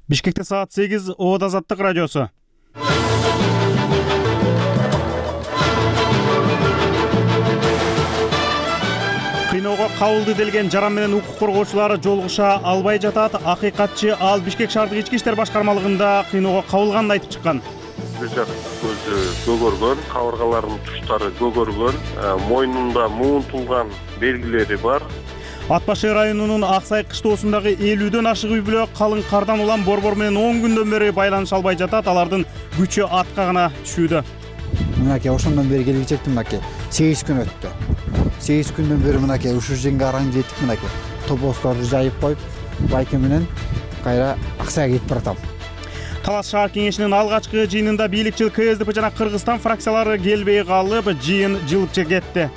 Бишкекте саат 8, Оот Азаттык радиосу. Кыйноого кабылды делген жаран менен укук коргоочулар жолугуша албай жатат. Акыйкатчы ал Бишкек шаардык ички иштер башкармалыгында кыйноого кабылганын айтып чыккан. Бир жак көзү көгөргөн, кабыргаларынын туштары көгөргөн, мойнунда муунтулган белгилери бар. Ат башы районунун Аксай кыштоосундагы 50дөн ашык үй бүлө калың кардан улам борбор менен 10 күндөн бери байланыша албай жатат. Алардын күчү атка гана түшүүдө. Мынакей ошондон бери келип чектим, мынакей 8 күн өттү. 8 күндөн бери мынакей ушул жерге араң жетип, мынакей тобосторду жайып коюп, байке менен кайра Аксайга кетип баратам. Талас шаар кеңешинин алгачкы жыйынында бийликчил КСДП жана Кыргызстан фракциялары келбей калып, жыйын жылып кетти.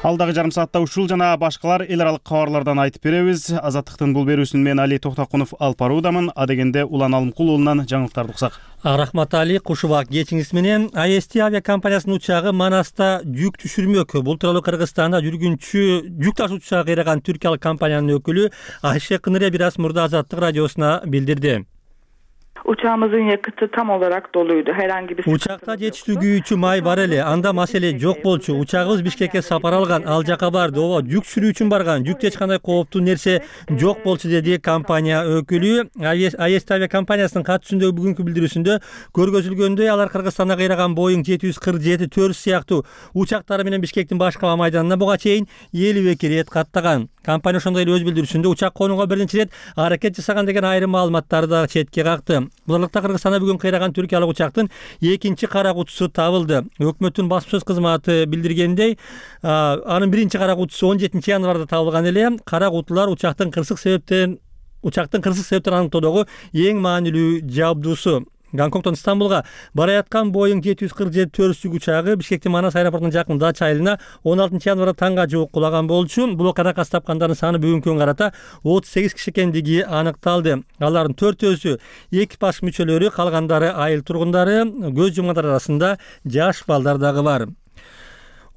Алдагы жарым саатта ушул жана башкалар эл аралык кабарлардан айтып беребиз. Азаттыктын бул берүүсүн мен Али Токтокунов алып баруудамын. Адегенде Улан Алымкул уулунан жаңылыктарды уксак. Рахмат Али, кушубак кечиңиз менен. АСТ авиакомпаниясынын учагы Манаста жүк түшүрмөк. Бул тууралуу Кыргызстанда жүргүнчү жүк ташуучу учак кыйраган түркиялык компаниянын өкүлү Айше Кынырия бир аз мурда Азаттык радиосуна билдирди. Uçağımızın yakıtı tam olarak doluydu. Herhangi bir Uçakta жетиштүү май бар эле. Анда маселе жок болчу. Учагыбыз Бишкекке сапар алган. Ал жака барды. Ооба, жүк түшүрүү үчүн барган. Жүктө эч кандай кооптуу нерсе жок болчу, деди компания өкүлү. АСТ авиакомпаниясынын катышундагы бүгүнкү билдирүүсүндө көргөзүлгөндөй, алар Кыргызстанда кыйраган Boeing 747-4 сыяктуу учактары менен Бишкектин башкы аба майданына буга чейин 52 рет каттаган. Компания ошондой эле өз билдирүүсүндө учак конууга биринчи рет аракет жасаган деген айрым маалыматтарды да четке какты. Булардыкта Кыргызстанда бүгүн кыйраган түркиялык учактын экинчи кара кутусу табылды. Өкмөттүн басма сөз кызматы билдиргендей, анын биринчи кара кутусу 17 январда табылган эле. Кара кутулар учактын кырсык себептен аныктоодогу эң маанилүү жабдуусу. Гонконгдон Стамбулга бара жаткан Boeing 747-4 учагы Бишкектин Манас аэропортунун жакын дача айылына 16 январда таңга жуук кулаган болчу. Бул окуяда тапкандардын саны бүгүнкү күнгө карата 38 киши экендиги аныкталды. Алардын 4-өсү экипаж мүчөлөрү, калгандары айыл тургундары, көз жумгандар арасында жаш балдар дагы бар.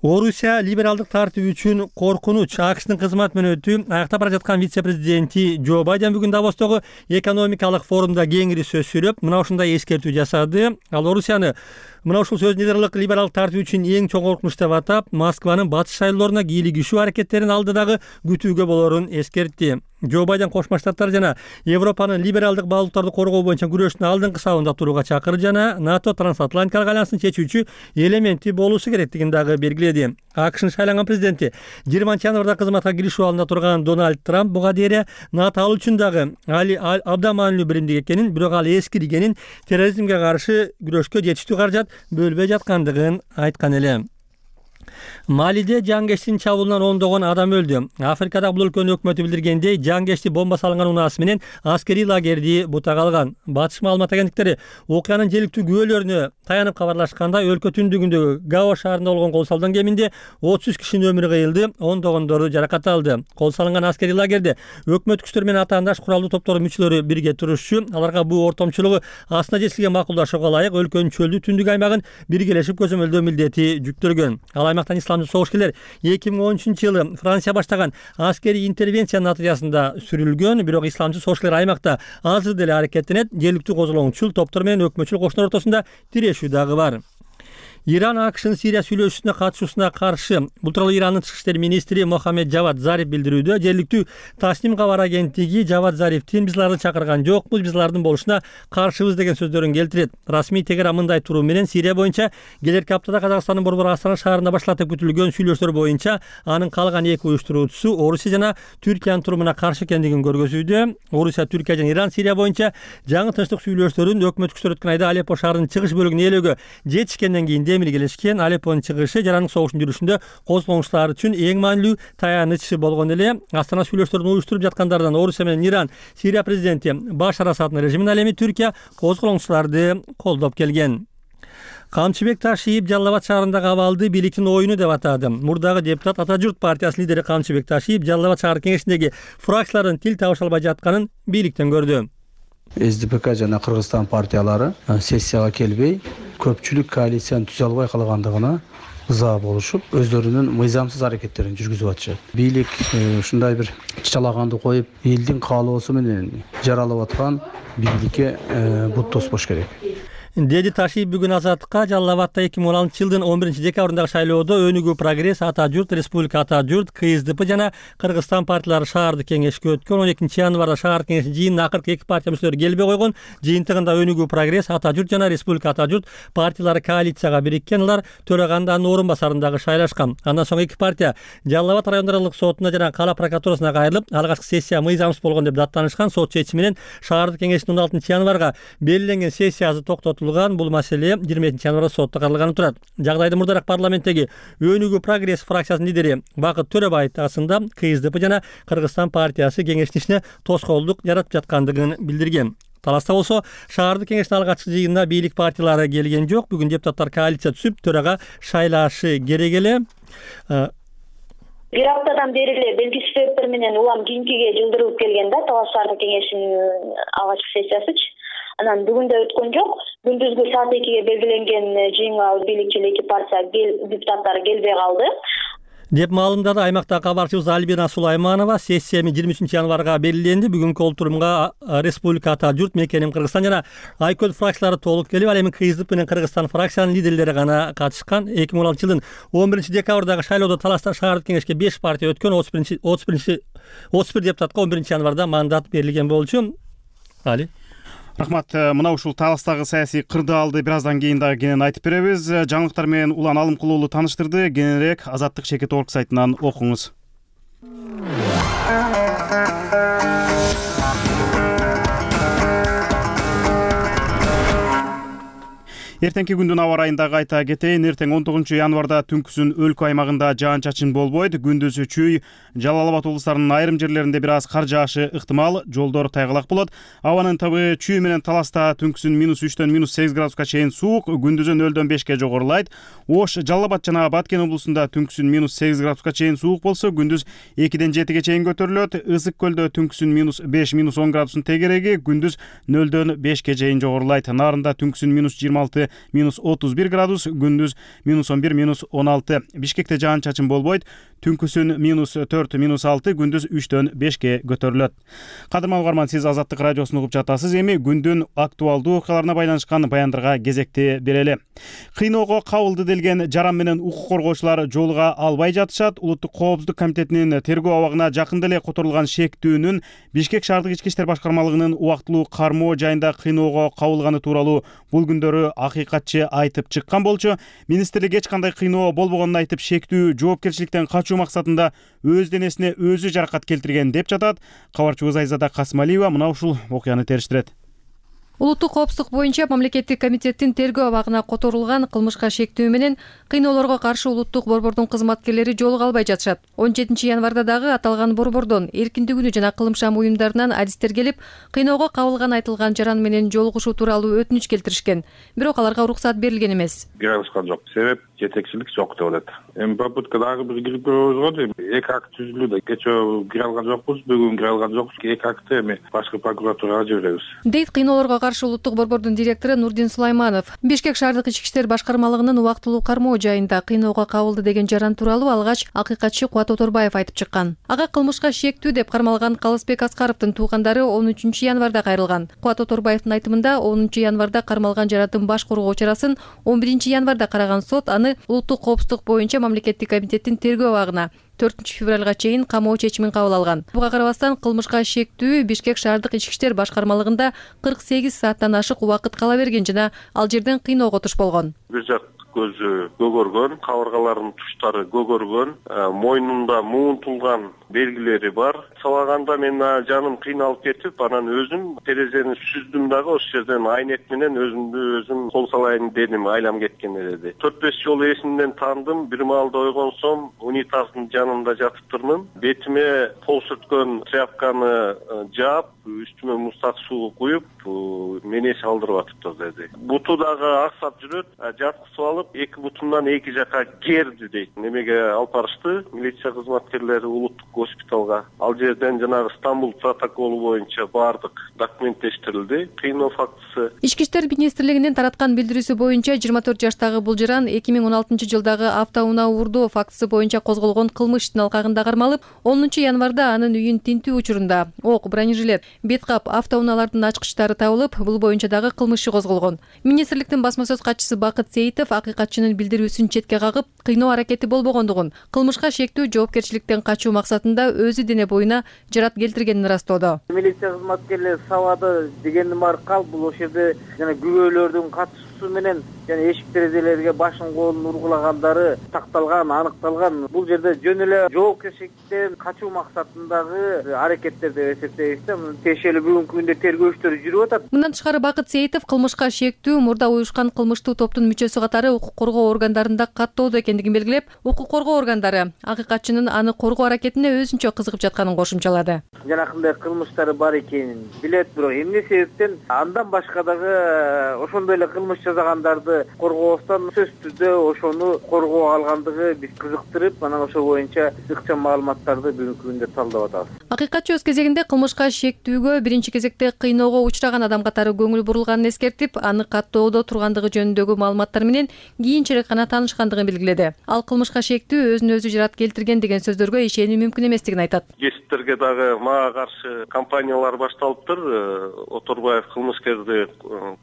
Орусия либералдык тартип үчүн коркунуч. АКШнын кызмат мөөнөтү аяктап бара жаткан вице-президенти Джо Байден бүгүн Давостогу экономикалык форумда кеңири сөз сүйлөп, мына ушундай эскертүү жасады. Ал Орусияны мына ушул сөз нидерлык либералдык тартип үчүн эң чоң коркунуч деп атап, Москванын батыш шайлоолоруна кийлигишүү аракеттерин алдыдагы күтүүгө болорун эскертти. Джо Байден Кошмо Штаттар жана Европанын либералдык баалуулуктарды коргоо боюнча күрөштүн алдыңкы сабында турууга чакырды жана НАТО трансатлантикалык альянсын чечүүчү элементи болуусу керектигин дагы белгиледи. АКШнын шайланган президенти 20 январда кызматка киришүү алдында турган Дональд Трамп буга дейре НАТО ал үчүн дагы абдан маанилүү биримдик экенин, бирок ал эскиргенин, терроризмге каршы күрөшкө жетиштүү каражат бөлбөй жаткандыгын айткан эле. Малиде жангештин чабуулунан ондогон адам өлдү. Африкада бул өлкөнүн өкмөтү билдиргендей, жангешти бомба салынган унаасы менен аскерий лагерди бутак алган. Батыш маалымат агенттиктери окуянын желиктүү күбөлөрүнө таянып кабарлашканда, өлкө түндүгүндөгү Гао шаарында болгон кол салган кеминде 33 кишинин өмүрү кыйылды, ондогондору жаракат алды. Кол салынган аскерий лагерде өкмөт күчтөр менен атаандаш куралдуу топтордун мүчөлөрү бирге турушчу. Аларга бул ортомчулугу астына жетилген макулдашууга ылайык өлкөнүн чөлдүү түндүк аймагын биргелешип көзөмөлдөө милдети жүктөлгөн. Ал аймактан исламдуу согушкерлер 2013-жылы Франция баштаган аскерий интервенция натыйжасында сүрүлгөн, бирок исламчы согушкерлер аймакта азыр деле аракеттенет. Жергиликтүү козголоңчул топтор менен өкмөтчүл кошундар ортосунда тирешүү дагы бар. Иран АКШнын Сирия сүйлөшүүсүнө катышуусуна каршы. Бул тууралуу Ирандын тышкы иштер министри Мохаммед Жавад Зариф билдирүүдө. Жергиликтүү Тасним кабар агенттиги Жавад Зарифтин "Биз аларды чакырган жокпуз, биз алардын болушуна каршыбыз" деген сөздөрүн келтирет. Расмий Тегеран мындай туруу менен Сирия боюнча келерки аптада Казакстандын борбору Астана шаарында башталып күтүлгөн сүйлөшүүлөр боюнча анын калган эки уюштуруучусу Орусия жана Түркиянын турумуна каршы экендигин көргөзүүдө. Орусия, Түркия жана Иран Сирия боюнча жаңы тынчтык сүйлөшүүлөрүн өкмөт күчтөр өткөн айда Алеппо шаарынын чыгыш бөлүгүн ээлөөгө жетишкенден кийин миргелешкен. Алеппонун чыгышы жарандык согуштун жүрүшүндө козголоңчулар үчүн эң маанилүү таяныч болгон эле. Астана сүйлөшүүлөрүн уюштуруп жаткандардан Орусия менен Иран, Сирия президенти Башар Асаддын режимине ал эми Түркия козголоңчуларды колдоп келген. Камчыбек Ташиев Жалал Абад шаарындагы абалды бийликтин оюну деп атады. Мурдагы депутат Ата журт партиясынын лидери Камчыбек Ташиев Жалал Абад шаар кеңешиндеги фракциялардын тил табыша албай жатканын бийликтен көрдү. СДПК жана Кыргызстан партиялары сессияга келбей, көпчүлүк коалицияны түзө албай калгандыгына ыза болушуп, өздөрүнүн мыйзамсыз аракеттерин жүргүзүп атышат. Бийлик ушундай бир чачалаганды коюп, элдин каалоосу менен жаралып аткан бийликке бут тоспош керек. Деди Ташиев бүгүн Азаттыкка Жалал Абадда 2016 жылдын 11 декабрындагы шайлоодо Өнүгүү Прогресс, Ата журт, Республика Ата журт, КСДП жана Кыргызстан партиялары шаардык кеңешке өткөн. 12 январда шаардык кеңештин жыйынына акыркы 2 партия мүчөлөрү келбей койгон. Жыйынтыгында Өнүгүү Прогресс, Ата журт жана Республика Ата журт партиялары коалицияга бириккен. Алар төраганын орун басарын дагы шайлашкан. Андан соң 2 партия Жалал Абад райондордук сотуна жана кала прокуратурасына кайрылып, алгачкы сессия мыйзамсыз болгон деп даттанышкан. Сот чечими менен шаардык кеңештин 16 январга белгиленген сессиясы токтотулган. Бул маселе 20 январда сотто каралганы турат. Жагдайды мурдараак парламенттеги Өнүгүү Прогресс фракциясынын лидери Бакыт Төрөбаев тагысында КСДП жана Кыргызстан партиясы кеңештин ишине тоскоолдук жаратып жаткандыгын билдирген. Таласта болсо шаардык кеңештин алгачкы жыйынына бийлик партиялары келген жок. Бүгүн депутаттар коалиция түзүп, төрага шайлашы керек эле. Бир аптадан бери эле белгисиз себептер менен улам кийинкиге жылдырылып келген да Талас шаардык кеңешинин алгачкы сессиясычы. Анан бүгүн да өткөн жок. Күндүзгү саат 2-ге белгиленген жыйынга бийликчил 2 партия депутаттары келбей калды деп маалымдады аймактагы кабарчыбыз Альбина Сулайманова. Сессия 23 январга белгиленди. Бүгүнкү олтурумга Республика Ата журт, Мекеним Кыргызстан жана Айкөл фракциялары толук келип, ал эми КСДП менен Кыргызстан фракциянын лидерлери гана катышкан. 2016 жылдын 11 декабрдагы шайлоодо Таласта шаардык кеңешке 5 партия өткөн. 31 депутатка 11 январда мандат берилген болчу. Али. Рахмат. Мына ушул Таластагы саясий кырдаалды бир аздан кийин дагы кенен айтып беребиз. Жаңылыктар менен Улан Алымкул уулу тааныштырды. Кененирээк Азаттык Шекет орг сайтынан окуңуз. Эртеңки күндүн аба ырайында кайта кетейин. Эртең 19 январда түнкүсүн өлкө аймагында жаан-чачын болбойт. Күндүзү чүй, Жалал Абад облустарынын айрым жерлеринде бир аз кар жаашы ыктымал. Жолдор тайгалак болот. Абанын табы чүй менен Таласта түнкүсүн -3-төн -8 градуска чейин суук, күндүзү 0-дөн 5ке жогорулайт. Ош, Жалал Абад жана Баткен облусунда түнкүсүн -8 градуска чейин суук болсо, күндүз 2-ден 7ге чейин көтөрүлөт. Ысык көлдө түнкүсүн -5, -10 градустун тегереги, күндүз 0-дөн 5ке чейин жогорулайт. Нарында түнкүсүн -26, -31 градус, күндүз -11, -16. Бишкекте жаан-чачын болбойт. Түнкүсүн -4, -6, күндүз 3-дөн 5ке көтөрүлөт. Кадырман угарман, сиз Азаттык радиосун угуп жатасыз. Эми күндүн актуалдуу окуяларына байланышкан баяндарга кезекти берели. Кыйноого кабылды делген жаран менен укук коргоочулар жолуга албай жатышат. Улуттук коопсуздук комитетинин тергөө абагына жакында эле которулган шектүүнүн Бишкек шаардык ички иштер башкармалыгынын убактылуу кармоо жайында кыйноого кабылганы тууралуу бул күндөрү акыйкатчы айтып чыккан болчу. Министрлик эч кандай кыйноо болбогонун айтып, шектүү жоопкерчиликтен качуу максатында өз денесине өзү жаракат келтирген деп жатат. Кабарчыбыз Айзада Касмалиева мына ушул окуяны териштирет. Улуттук коопсуздук боюнча мамлекеттик комитеттин тергөө абагына которулган кылмышка шектүү менен кыйноолорго каршы улуттук борбордун кызматкерлери жолуга албай жатышат. 17 январда дагы аталган борбордон эркиндик күнү жана кылымшам уюмдарынан адистер келип, кыйноого кабылган айтылган жаран менен жолугушуу тууралуу өтүнүч келтиришкен. Бирок аларга уруксат берилген эмес. Киргизган жок. Себеп жетекчилик жок деп атат. Эми попытка дагы бир кирип көрөбүз го. 2 акт түзүлүүдө. Кечээ кире алган жокпуз, бүгүн кире алган жокпуз. 2 актты эми башкы прокуратурага жиберебиз. Дейт кыйноолорго каршы улуттук борбордун директору Нурдин Сулайманов. Бишкек шаардык ички иштер башкармалыгынын убактылуу кармоо жайында кыйноого кабылды деген жаран тууралуу алгач акыйкатчы Кубат Оторбаев айтып чыккан. Ага кылмышка шектүү деп кармалган Калысбек Аскаровдун туугандары 13 январда кайрылган. Кубат Оторбаевдин айтымында 10 январда кармалган жарандын баш коргоо чарасын 11 январда караган сот аны улуттук коопсуздук боюнча мамлекеттик комитеттин тергөө абагына 4 февралга чейин камоо чечимин кабыл алган. Буга карабастан кылмышка шектүү Бишкек шаардык ички иштер башкармалыгында 48 сааттан ашык убакыт кала берген жана ал жерден кыйноого туш болгон. Бир жак көзү көгөргөн, кабыргаларынын туштары көгөргөн, мойнунда муунтулган белгилери бар. Салаганда мен жаным кыйналып кетип, анан өзүм терезени сүздүм дагы ошол жерден айнек менен өзүм кол салайын дедим, айлам кеткен эле. 4-5 жолу эсимден таандым. Бир маалда ойгонсом, унитаздын жанында жатыптырмын. Бетиме пол сүрткөн тряпканы жаап, үстүмө муздак суу куюп, мени салдырып атыптыр деди. Буту дагы аксап жүрөт, жаткызып алып, алып 2,2 жака керди дейт. Немеге алып барышты милиция кызматкерлери улуттук госпиталга. Ал жерден жанагы Стамбул протоколу боюнча баардык документтештирилди. Кыйноо фактысы. Ички иштер министрлигинин тараткан билдирүүсү боюнча 24 жаштагы бул жаран 2016-жылдагы автоунаа уурдоо фактысы боюнча козголгон кылмыш иштин алкагында кармалып, 10 январда анын үйүн тинтүү учурунда ок, бронежилет, беткап, автоунаалардын ачкычтары табылып, бул боюнча дагы кылмыш иши козголгон. Министрликтин басма сөз катчысы Бакыт Сейитов акыйкатчынын билдирүүсүн четке кагып, кыйноо аракети болбогондугун, кылмышка шектүү жоопкерчиликтен качуу максатында өзү дене боюна жарат келтиргенин ырастоодо. Милиция кызматкерлери сабады дегендин баары калп, бул ошол жерде жана күбөлөрдүн катышуусу менен жана эшик терезелерге башын колун ургулагандары такталган, аныкталган. Бул жерде жөн эле жоопкерчиликтен качуу максатындагы аракеттер деп эсептейбиз да. Тиешелүү бүгүнкү күндө тергөө иштери жүрүп атат. Мындан тышкары Бакыт Сейитов кылмышка шектүү мурда уюшкан кылмыштуу топтун мүчөсү катары укук коргоо органдарында каттоодо экендигин белгилеп, укук коргоо органдары акыйкатчынын аны коргоо аракетине өзүнчө кызыгып жатканын кошумчалады. Жанакындай кылмыштары бар экенин билет, бирок эмне себептен андан башка дагы ошондой эле кылмыш жасагандарды коргообуздан сөзсүз түрдө ошону коргоо алгандыгы биз кызыктырып, анан ошол боюнча ыкчам маалыматтарды бүгүнкү күндө талдап атабыз. Акыйкатчы өз кезегинде кылмышка шектүүгө биринчи кезекте кыйноого учураган адам катары көңүл бурулганын эскертип, аны каттоодо тургандыгы жөнүндөгү маалыматтар менен кийинчерээк гана таанышкандыгын белгиледи. Ал кылмышка шектүү өзүн өзү жарат келтирген деген сөздөргө ишенүү мүмкүн эместигин айтат. Кесиптерге дагы мага каршы кампаниялар башталыптыр. Оторбаев кылмышкерди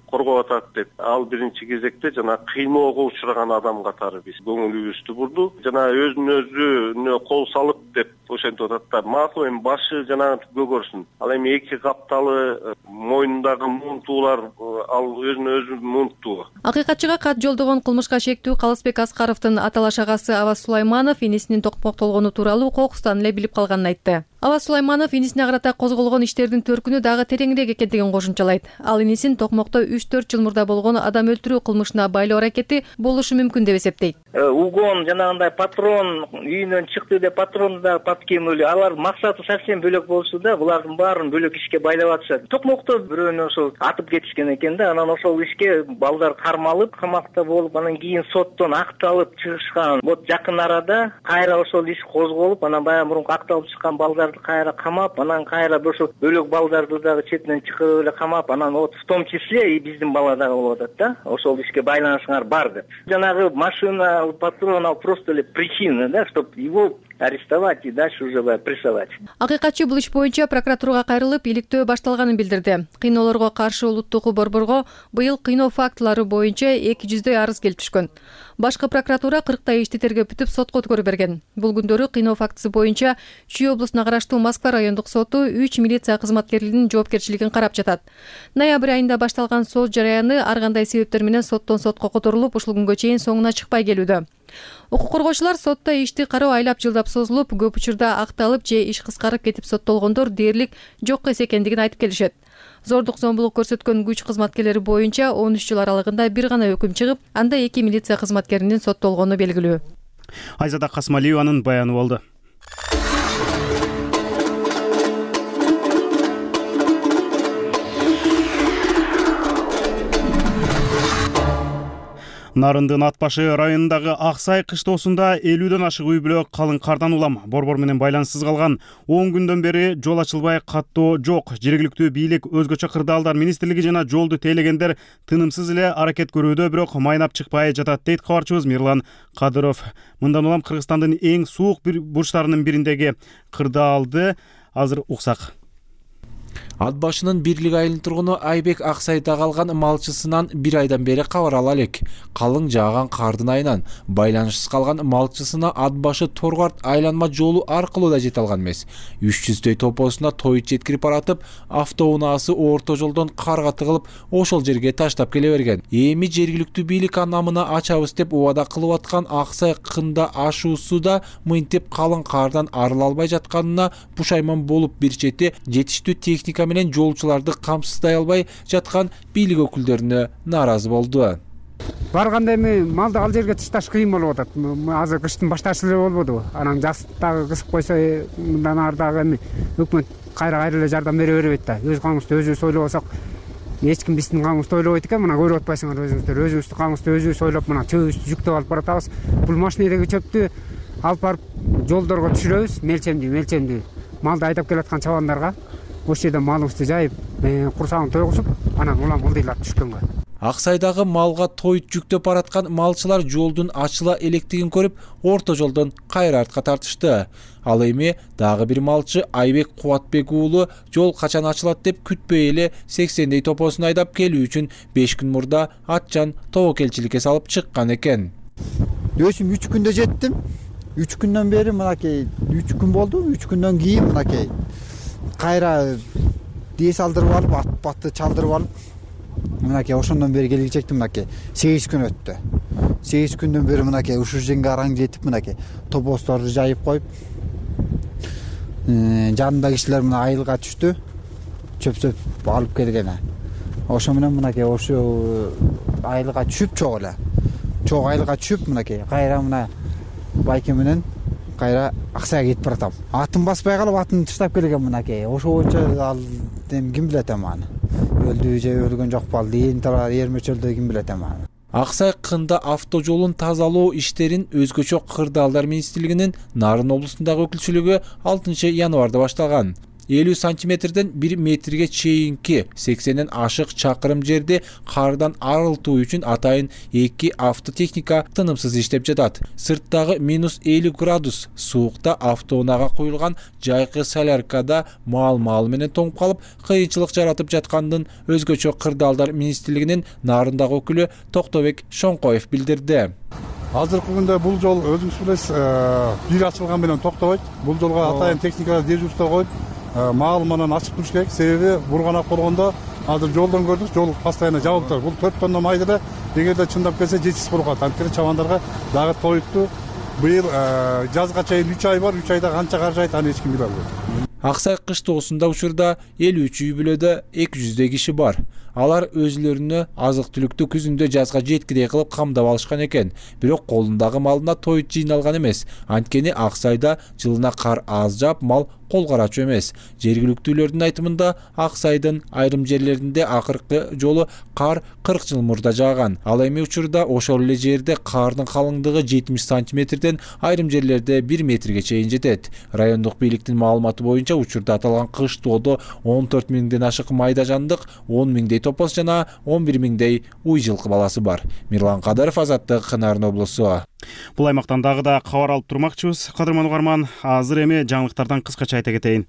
коргоп атат деп. Ал биринчи кезекте жана кыйноого учураган адам катары биз көңүлүбүздү бурду. Жана өзүн өзүнө кол салып деп ошентип атат да. Макул, эми башы жана көгөрсүн. Ал эми эки капталы мойнундагы муунтуулар ал өзүн өзү муунттуу. Акыйкатчыга кат жолдогон кылмышка шектүү Калысбек Аскаровдун аталаш агасы Аваз Сулайманов инисинин токмоктолгону тууралуу кокустан эле билип калганын айтты. Аваз Сулайманов инисине карата козголгон иштердин төркүнү дагы тереңирээк экендигин кошумчалайт. Ал инисин токмокто 3-4 жыл мурда болгон адам өлтүрүү кылмышына байлоо аракети болушу мүмкүн деп эсептейт. Угон жанагындай патрон үйүнөн чыкты деп патронду да паткемөлү алар максаты совсем бөлөк болчу да, булардын баарын бөлөк ишке байлап атышат. Токмокто бирөөнү ошол атып кетишкен экен да, анан ошол ишке балдар кармалып, камакта болуп, анан кийин соттон акталып чыгышкан. Вот жакын арада кайра ошол иш козголуп, анан баягы мурунку акталып чыккан балдарды кайра камап, анан кайра ошол бөлөк балдарды дагы четинен чыгырып эле камап, анан вот в том числе и биздин бала дагы болуп атат да. Ошол ишке байланышыңар бар деп. Жанагы машина, патрон ал просто эле причина, да, чтобы его арестовать и дальше уже прессовать. Акыйкатчы бул иш боюнча прокуратурага кайрылып, иликтөө башталганын билдирди. Кыйноолорго каршы улуттук борборго быйыл кыйноо фактылары боюнча 200 арыз келип түшкөн. Башкы прокуратура 40 ишти тергөп сотко өткөрүп берген. Бул күндөрү кыйноо фактысы боюнча Чүй облусуна караштуу Москва райондук соту 3 милиция кызматкерлеринин жоопкерчилигин карап жатат. Ноябрь айында башталган сот жараяны ар кандай себептер менен соттон сотко которулуп, ушул күнгө чейин соңуна чыкпай келүүдө. Укук коргоочулар сотто ишти кароо айлап жылдап созулуп, көп учурда акталып же иш кыскарып кетип соттолгондор дээрлик жок эсекендигин айтып келишет. Зордук зомбулук көрсөткөн күч кызматкерлери боюнча 13 жыл аралыгында бир гана өкүм чыгып, анда 2 милиция кызматкеринин соттолгону белгилүү. Айзада Касмалиеванын баяны болду. Нарындын Ат башы районундагы Аксай кыштоосунда 50дөн ашык үй бүлө калың кардан улам. Борбор менен байланыссыз калган 10 күндөн бери жол ачылбай каттоо жок. Жергиликтүү бийлик, өзгөчө кырдаалдар министрлиги жана жолду тейлегендер тынымсыз эле аракет көрүүдө, бирок майнап чыкпай жатат дейт кабарчыбыз Мирлан Кадыров. Мындан улам Кыргызстандын эң суук бурчтарынын бириндеги кырдаалды азыр уксак. Ат башынын бирлик айылынын тургуну Айбек Аксайда калган малчысынан бир айдан бери кабар ала элек. Калың жааган кардын айынан байланышсыз калган малчысына Ат башы Торгарт айланма жолу аркылуу да жете алган эмес. 300дөй топосуна тоyut жеткирип баратып, автоунаасы орто жолдон карга тыгылып, ошол жерге таштап келе берген. Эми жергиликтүү бийлик анамына ачабыз деп убада кылып аткан Аксай кында ашуусу да мынтип калың кардан арыла албай жатканына пушайман болуп, бир чети жетиштүү техника менен жолчуларды камсыздай албай жаткан бийлик өкүлдөрүнө нааразы болду. Барганда эми малды ал жерге ташташ кыйын болуп атат. Азыр кыштын башташы эле болбоду. Анан жаз дагы кысып койсо, мындан ары дагы эми өкмөт кайра эле жардам бере бербейт да. Өз камыбызды өзүбүз ойлобосок, эч ким биздин каңыбызды ойлобойт экен. Мына көрүп атпайсыңар өзүңүздөр. Өзүбүздүн каңыбызды өзүбүз ойлоп мына чөбүбүздү жүктөп алып баратабыз. Бул машинедеги чөптү алып барып жолдорго түшүрөбүз. Мелчемдүү малды айдап келаткан чабандарга ошол жерде малыбызды жайып, курсагын тойгузуп, анан улам ылдыйлап түшкөнгө. Аксайдагы малга тоyut жүктөп бараткан малчылар жолдун ачыла электигин көрүп, орто жолдон кайра артка тартышты. Ал эми дагы бир малчы Айбек Кубатбек уулу жол качан ачылат деп күтпөй эле 80дей топосун айдап келүү үчүн 5 күн мурда атчан тобокелчиликке салып чыккан экен. Өзүм 3 күндө жеттим. 3 күндөн бери мынакей 3 күн болду. 3 күндөн кийин мынакей кайра дес алдырып алып, ат-батты чалдырып алып, мынакей ошондон бери келгичектим. Мынакей 8 күн өттү. 8 күндөн бери мынакей ушул жерге араң жетип, мынакей топосторду жайып коюп, жанында кишилер мына айылга түштү, чөп алып келген. Ошо менен мынакей ошо айылга түшүп чогуу айылга түшүп, мынакей кайра мына байке менен кайра Аксайга кетип баратам. Атын баспай калып, атын таштап келген мынакей. Ошо боюнча ал ким билет аны. Өлдү же өлгөн жокпу, ал эрмечөлдү ким билет аны. Аксай кында автожолун тазалоо иштерин өзгөчө кырдаалдар министрлигинин Нарын облусундагы өкүлчүлүгү 6 январда башталган. 50 сантиметрден 1 метрге чейинки 80ден ашык чакырым жерди кардан арылтуу үчүн атайын 2 автотехника тынымсыз иштеп жатат. Сырттагы -50 градус суукта автоунаага коюлган жайкы соляркада мал менен тоңуп калып, кыйынчылык жаратып жаткандын өзгөчө кырдаалдар министрлигинин Нарындагы өкүлү Токтобек Шоңкоев билдирди. Азыркы күндө бул жол өзүңүз билесиз, бир ачылган менен токтобойт. Бул жолго атайын техника дежурство коюп, мал менен ачып туруш керек. Себеби бурганак болгондо азыр жолдон көрдүк, жол постоянно жабылып турат. Бул 4 тонна майды да эгерде чындап келсе жетишип калат. Анткени чабандарга дагы тоютту. Быйыл жазга чейин 3 ай бар. 3 айда канча каржайт, аны эч ким биле албайт. Аксай кыштоосунда учурда 53 үй бүлөдө 200дей киши бар. Алар өзүлөрүнө азык-түлүктү күзүндө жазга жеткидей кылып камдап алышкан экен. Бирок колундагы малына тоyut жыйналган эмес. Анткени Аксайда жылына кар аз жаап, мал кол карачу эмес. Жергиликтүүлөрдүн айтымында Аксайдын айрым жерлеринде акыркы жолу кар 40 жыл мурда жааган. Ал эми учурда ошол эле жерде кардын калыңдыгы 70 сантиметрден айрым жерлерде 1 метрге чейин жетет. Райондук бийликтин маалыматы боюнча учурда аталган кыштоодо 14 миңден ашык майда жандык, 10 миңдей топос жана 11 миңдей уй жылкы баласы бар. Мирлан Кадыров, Азаттык, Нарын облусу. Бул аймактан дагы да кабар алып турмакчыбыз. Кадырман угарман, азыр эми жаңылыктардан кыскача айта кетейин.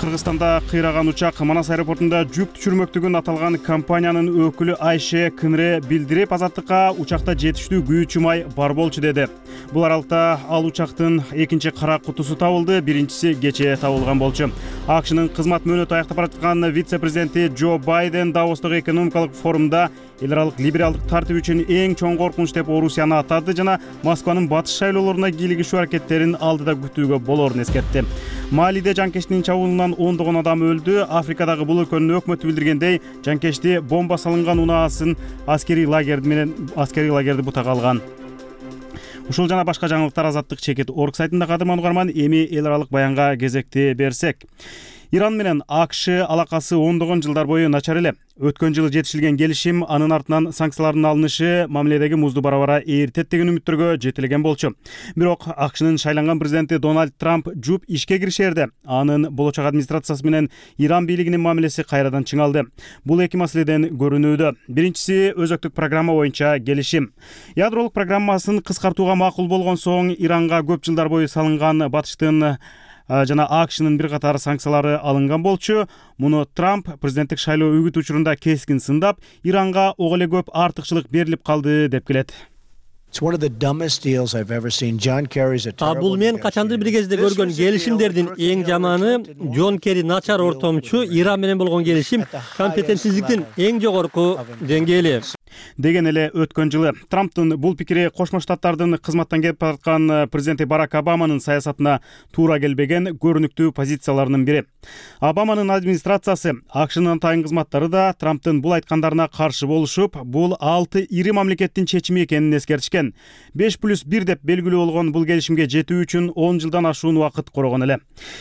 Кыргызстанда кыйраган учак Манас аэропортунда жүк түшүрмөктүгүн аталган компаниянын өкүлү Айше Кынре билдирип, Азаттыкка учакта жетиштүү күйүүчү май бар болчу деди. Бул аралыкта ал учактын экинчи кара кутусу табылды, биринчиси кечээ табылган болчу. АКШнын кызмат мөөнөтү аяктап бараткан вице-президенти Джо Байден Давостогу экономикалык форумда эл аралык либералдык тартип үчүн эң чоң коркунуч деп Орусияны атады жана Москванын батыш шайлоолоруна кийлигишүү аракеттерин алдыда күтүүгө болорун эскертти. Малиде жанкечтин чабуулунан ондогон адам өлдү. Африкадагы бул өлкөнүн өкмөтү билдиргендей, жанкечти бомба салынган унаасын аскерий лагерди бутага алган. Ушул жана башка жаңылыктар Азаттык чекит орг сайтында. Кадырман угарман, эми эл аралык баянга кезекти берсек. Иран менен АКШ алакасы ондогон жылдар бою начар эле. Өткөн жылы жетишилген келишим, анын артынан санкциялардын алынышы мамиледеги музду бара-бара ээритет деген үмүттөргө жетелеген болчу. Бирок АКШнын шайланган президенти Дональд Трамп жуп ишке киришерде. Анын болочок администрациясы менен Иран бийлигинин мамилеси кайрадан чыңалды. Бул эки маселеден көрүнүүдө. Биринчиси өзөктүк программа боюнча келишим. Ядролук программасын кыскартууга макул болгон соң Иранга көп жылдар бою салынган батыштын жана АКШнын бир катар санкциялары алынган болчу. Муну Трамп президенттик шайлоо үгүт учурунда кескин сындап, Иранга ого эле көп артыкчылык берилип калды деп келет. Бул мен качандыр бир кезде көргөн келишимдердин эң жаманы. Джон Керри начар ортомчу, Иран менен болгон келишим компетентсиздиктин эң жогорку деңгээли. деген эле өткөн жылы. Трамптын бул пикири Кошмо Штаттардын кызматтан кетип бараткан президенти Барак Обаманын саясатына туура келбеген көрүнүктүү позицияларынын бири. Обаманын администрациясы, АКШнын атайын кызматтары да Трамптын бул айткандарына каршы болушуп, бул 6 ири мамлекеттин чечими экенин эскертишкен. 5+1 деп белгилүү болгон бул келишимге жетүү үчүн 10 жылдан ашуун убакыт корогон эле.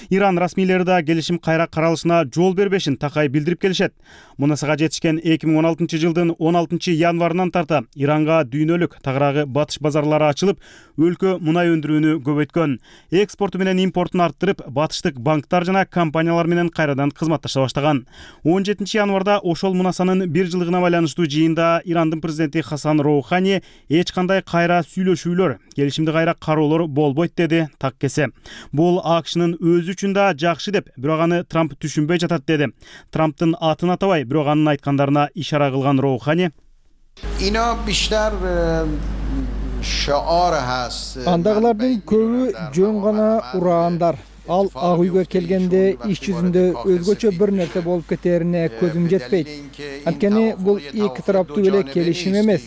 Иран расмийлери да келишим кайра каралышына жол бербешин такай билдирип келишет. Мунасага жетишкен 2016 жылдын 16 январынан тарта Иранга дүйнөлүк тагыраагы батыш базарлары ачылып, өлкө мунай өндүрүүнү көбөйткөн, экспорту менен импортун арттырып, батыштык банктар жана компаниялар менен кайрадан кызматташа баштаган. 17 январда ошол мунасанын 1 жылдыгына байланыштуу жыйында Ирандын президенти Хасан Роухани эч кандай кайра сүйлөшүүлөр, келишимди кайра кароолор болбойт деди так кесе. Бул АКШнын өзү үчүн да жакшы деп, бирок аны Трамп түшүнбөй жатат деди. Трамптын атын атабай, бирок анын айткандарына ишара кылган Роухани: Андагылардын көбү жөн гана ураандар. Ал ак үйгө келгенде иш жүзүндө өзгөчө бир нерсе болуп кетерине көзүм жетпейт. Анткени бул эки тараптуу эле келишим эмес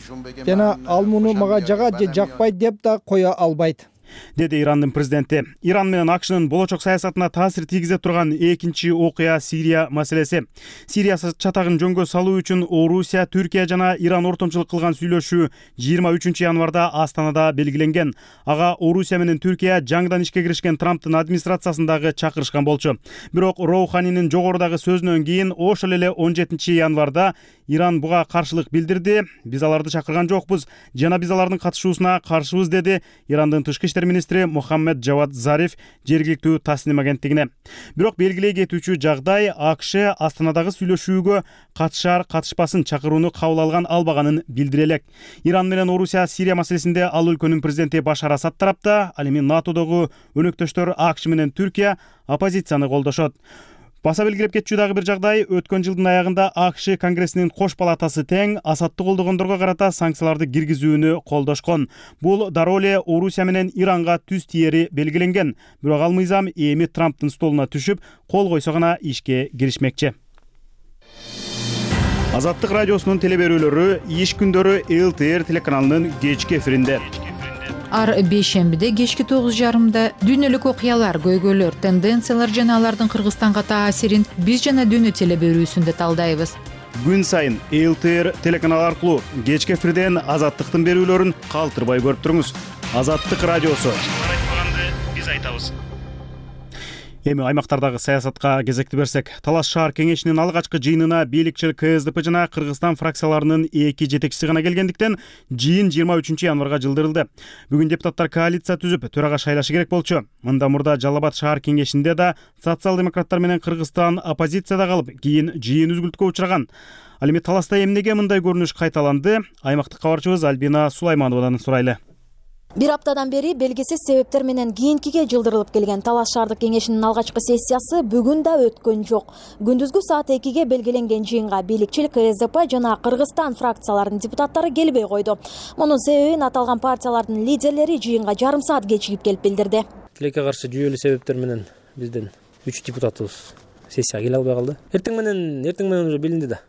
жана ал муну мага жагат же жакпайт деп да кое албайт, деди Ирандын президенти. Иран менен АКШнын болочок саясатына таасир тийгизе турган экинчи окуя Сирия маселеси. Сирия чатагын жөнгө салуу үчүн Орусия, Түркия жана Иран ортомчулук кылган сүйлөшүү 23 январда Астанада белгиленген. Ага Орусия менен Түркия жаңыдан ишке киришкен Трамптын администрациясындагы чакырышкан болчу. Бирок Роуханинин жогорудагы сөзүнөн кийин ошол эле 17 январда Иран буга каршылык билдирди. Биз аларды чакырган жокпуз жана биз алардын катышуусуна каршыбыз, деди Ирандын тышкы иштер министри Мухаммед Джавад Зариф жергиликтүү Тасним агенттигине. Бирок белгилей кетүүчү жагдай АКШ Астанадагы сүйлөшүүгө катышар катышпасын чакырууну кабыл алган албаганын билдире элек. Иран менен Орусия Сирия маселесинде ал өлкөнүн президенти Башар Асад тарапта, ал эми НАТОдогу өнөктөштөр АКШ менен Түркия оппозицияны колдошот. Баса белгилеп кетчү дагы бир жагдай, өткөн жылдын аягында АКШ Конгрессинин кош палатасы тең Асадты колдогондорго карата санкцияларды киргизүүнү колдошкон. Бул дароо эле Орусия менен Иранга түз тиери белгиленген. Бирок ал мыйзам эми Трамптын столуна түшүп, кол койсо гана ишке киришмекчи. Азаттык радиосунун телеберүүлөрү иш күндөрү ЛТР телеканалынын кечки эфиринде. Ар бейшембиде кечки 9:30 дүйнөлүк окуялар, көйгөйлөр, тенденциялар жана алардын Кыргызстанга таасирин биз жана дүйнө телеберүүсүндө талдайбыз. Күн сайын ЛТР телеканалы аркылуу кечки эфирден Азаттыктын берүүлөрүн калтырбай көрүп туруңуз. Азаттык радиосу. Биз айтабыз. Эми аймактардагы саясатка кезекти берсек, Талас шаар кеңешинин алгачкы жыйынына бийликчил КСДП жана Кыргызстан фракцияларынын эки жетекчиси гана келгендиктен жыйын 23 январга жылдырылды. Бүгүн депутаттар коалиция түзүп, төрага шайлашы керек болчу. Мында мурда Жалал Абад шаар кеңешинде да социал-демократтар менен Кыргызстан оппозицияда калып, кийин жыйын үзгүлтүккө учураган. Ал эми Таласта эмнеге мындай көрүнүш кайталанды? Аймактык кабарчыбыз Альбина Сулаймановадан сурайлы. Бир аптадан бери белгисиз себептер менен кийинкиге жылдырылып келген Талас шаардык кеңешинин алгачкы сессиясы бүгүн да өткөн жок. Күндүзгү саат 2-ге белгиленген жыйынга бийликчил КСДП жана Кыргызстан фракцияларынын депутаттары келбей койду. Мунун себебин аталган партиялардын лидерлери жыйынга жарым саат кечигип келип билдирди. Тилекке каршы жүйөлүү себептер менен биздин 3 депутатыбыз сессияга келе албай калды. Эртең менен уже билинди да.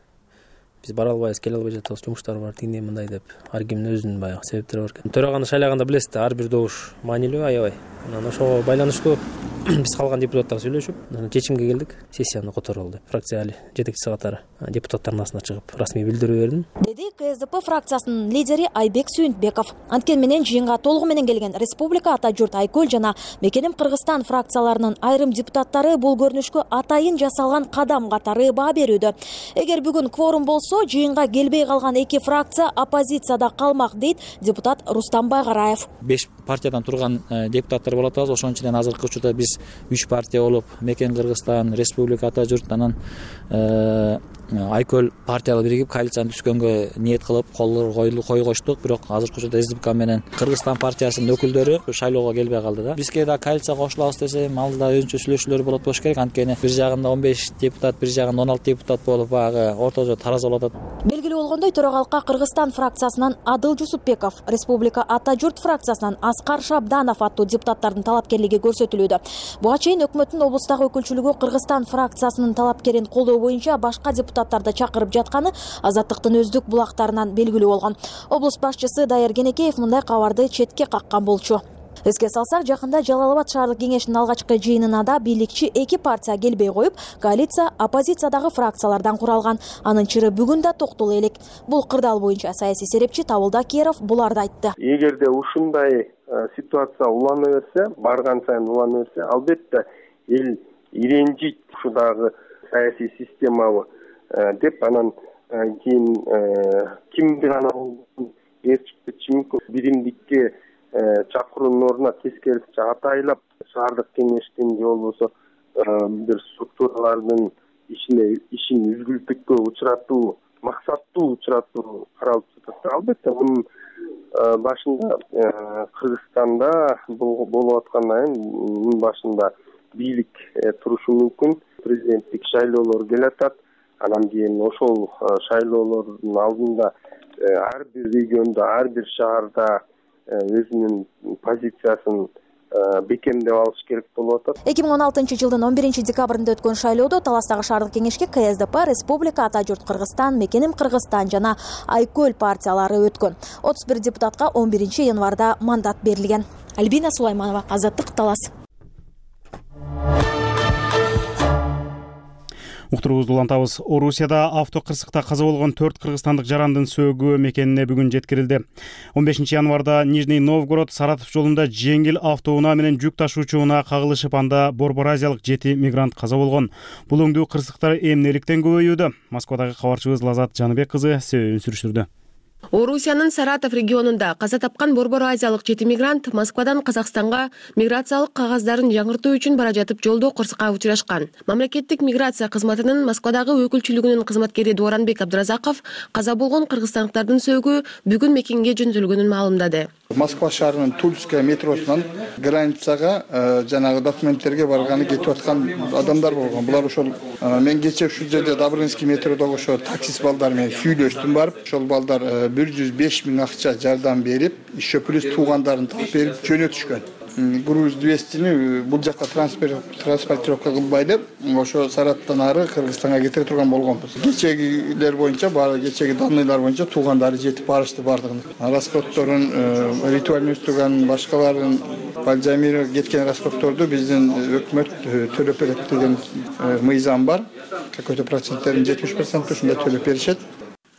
Биз бара албайбыз, келе албай жатабыз, жумуштар бар, тигиндей мындай деп. Ар кимдин өзүнүн баягы себептери бар экен. Төраганы шайлаганда билесиз да, ар бир добуш маанилүү, аябай. Анан ошого байланыштуу биз калган депутаттар сүйлөшүп, чечимге келдик. Сессияны которолу деп. Фракция жетекчиси катары депутаттардын арасына чыгып, расмий билдирүү бердим. Деди КСДП фракциясынын лидери Айбек Сүйүнтбеков. Анткени менен жыйынга толугу менен келген Республика Ата журт Айкөл жана Мекеним Кыргызстан фракцияларынын айрым депутаттары бул көрүнүшкө атайын жасалган кадам катары баа берүүдө. Эгер бүгүн кворум болсо, жыйынга келбей калган эки фракция оппозицияда калмак, дейт депутат Рустам Байгараев. 5 партиядан турган депутаттар болот атабыз. Ошонун ичинен азыркы учурда биз 3 партия болуп, Мекен Кыргызстан, Республика Ата журт анан Айкөл партиялар биригип коалицияны түзгөнгө ниет кылып койгоштук. Бирок азыркы учурда СДПК менен Кыргызстан партиясынын өкүлдөрү шайлоого келбей калды да. Бизге да коалицияга кошулабыз десем, алда өзүнчө сүйлөшүүлөр болот болуш керек. Анткени бир жагында 15 депутат, бир жагында 16 депутат болуп, баягы ортодо тараза болуп атат. Белгилүү болгондой, төрагалыкка Кыргызстан фракциясынан Адыл Жусупбеков, Республика Ата журт фракциясынан Аскар Шабданов аттуу депутаттардын талапкерлиги көрсөтүлүүдө. Буга чейин өкмөттүн облустагы өкүлчүлүгү Кыргызстан фракциясынын талапкерин колдоо боюнча башка депутаттарды чакырып жатканы Азаттыктын өздүк булактарынан белгилүү болгон. Облус башчысы Дайыр Кенекеев мындай кабарды четке каккан болчу. Эске салсак, жакында Жалал-Абад шаардык кеңешинин алгачкы жыйынына да бийликчи эки партия келбей коюп, коалиция оппозициядагы фракциялардан куралган. Анын чыры бүгүн да токтоло элек. Бул кырдаал боюнча саясий серепчи Табылда Керов буларды айтты. Эгерде ушундай ситуация улана берсе, барган сайын улана берсе, албетте эл иренжийт ушудагы саясий системабы деп, анан кийин кимди гана эрчим биримдикке чакыруунун ордуна тескерисинче атайлап шаардык кеңештин же болбосо бир структуралардын ишин үзгүлтүккө учуратуу, максаттуу учуратуу каралып жатат. Албетте мунун башында Кыргызстанда болуп аткандан кийин мунун башында бийлик турушу мүмкүн. Президенттик шайлоолор келатат. Анан кийин ошол шайлоолордун алдында ар бир региондо, ар бир шаарда өзүнүн позициясын бекемдеп алыш керек болуп атат. 2016-жылдын 11-декабрында өткөн шайлоодо Таластагы шаардык кеңешке КСДП, Республика Ата журт Кыргызстан, Мекеним Кыргызстан жана Айкөл партиялары өткөн. 31 депутатка 11-январда мандат берилген. Альбина Сулайманова, Азаттык, Талас. Уктуруубузду улантабыз. Орусияда автокырсыкта каза болгон 4 кыргызстандык жарандын сөөгү мекенине бүгүн жеткирилди. 15 январда Нижний Новгород Саратов жолунда жеңил автоунаа менен жүк ташуучу унаа кагылышып, анда Борбор Азиялык 7 мигрант каза болгон. Бул өңдүү кырсыктар эмнеликтен көбөйүүдө? Москвадагы кабарчыбыз Лазат Жаныбек кызы себебин сүрүштүрдү. Орусиянын Саратов регионунда каза тапкан Борбор Азиялык 7 мигрант Москвадан Казакстанга миграциялык кагаздарын жаңыртуу үчүн бара жатып жолдо кырсыкка учурашкан. Мамлекеттик миграция кызматынын Москвадагы өкүлчүлүгүнүн кызматкери Дооранбек Абдыразаков каза болгон кыргызстандыктардын сөөгү бүгүн мекенге жөнөтүлгөнүн маалымдады. Москва шаарынын Тульская метросунан границага жанагы документтерге барганы кетип аткан адамдар болгон. Булар ошол мен кечээ ушул жерде Добрынский метродогу ошо таксист балдар менен сүйлөштүм барып, ошол балдар 105 миң акча жардам берип, еще плюс туугандарын таап берип жөнөтүшкөн. Груз 200-ни бул жакка транспортировка кылбай деп, ошо Сараттан ары Кыргызстанга кетире турган болгонбуз. Кечегилер боюнча, кечеги данныйлар боюнча туугандары жетип барышты бардыгын. Расходторун, ритуальный үстүгөн башкаларын Бальзамирге кеткен расходторду биздин өкмөт төлөп берет деген мыйзам бар. Какой-то проценттерин 70% ушундай төлөп беришет.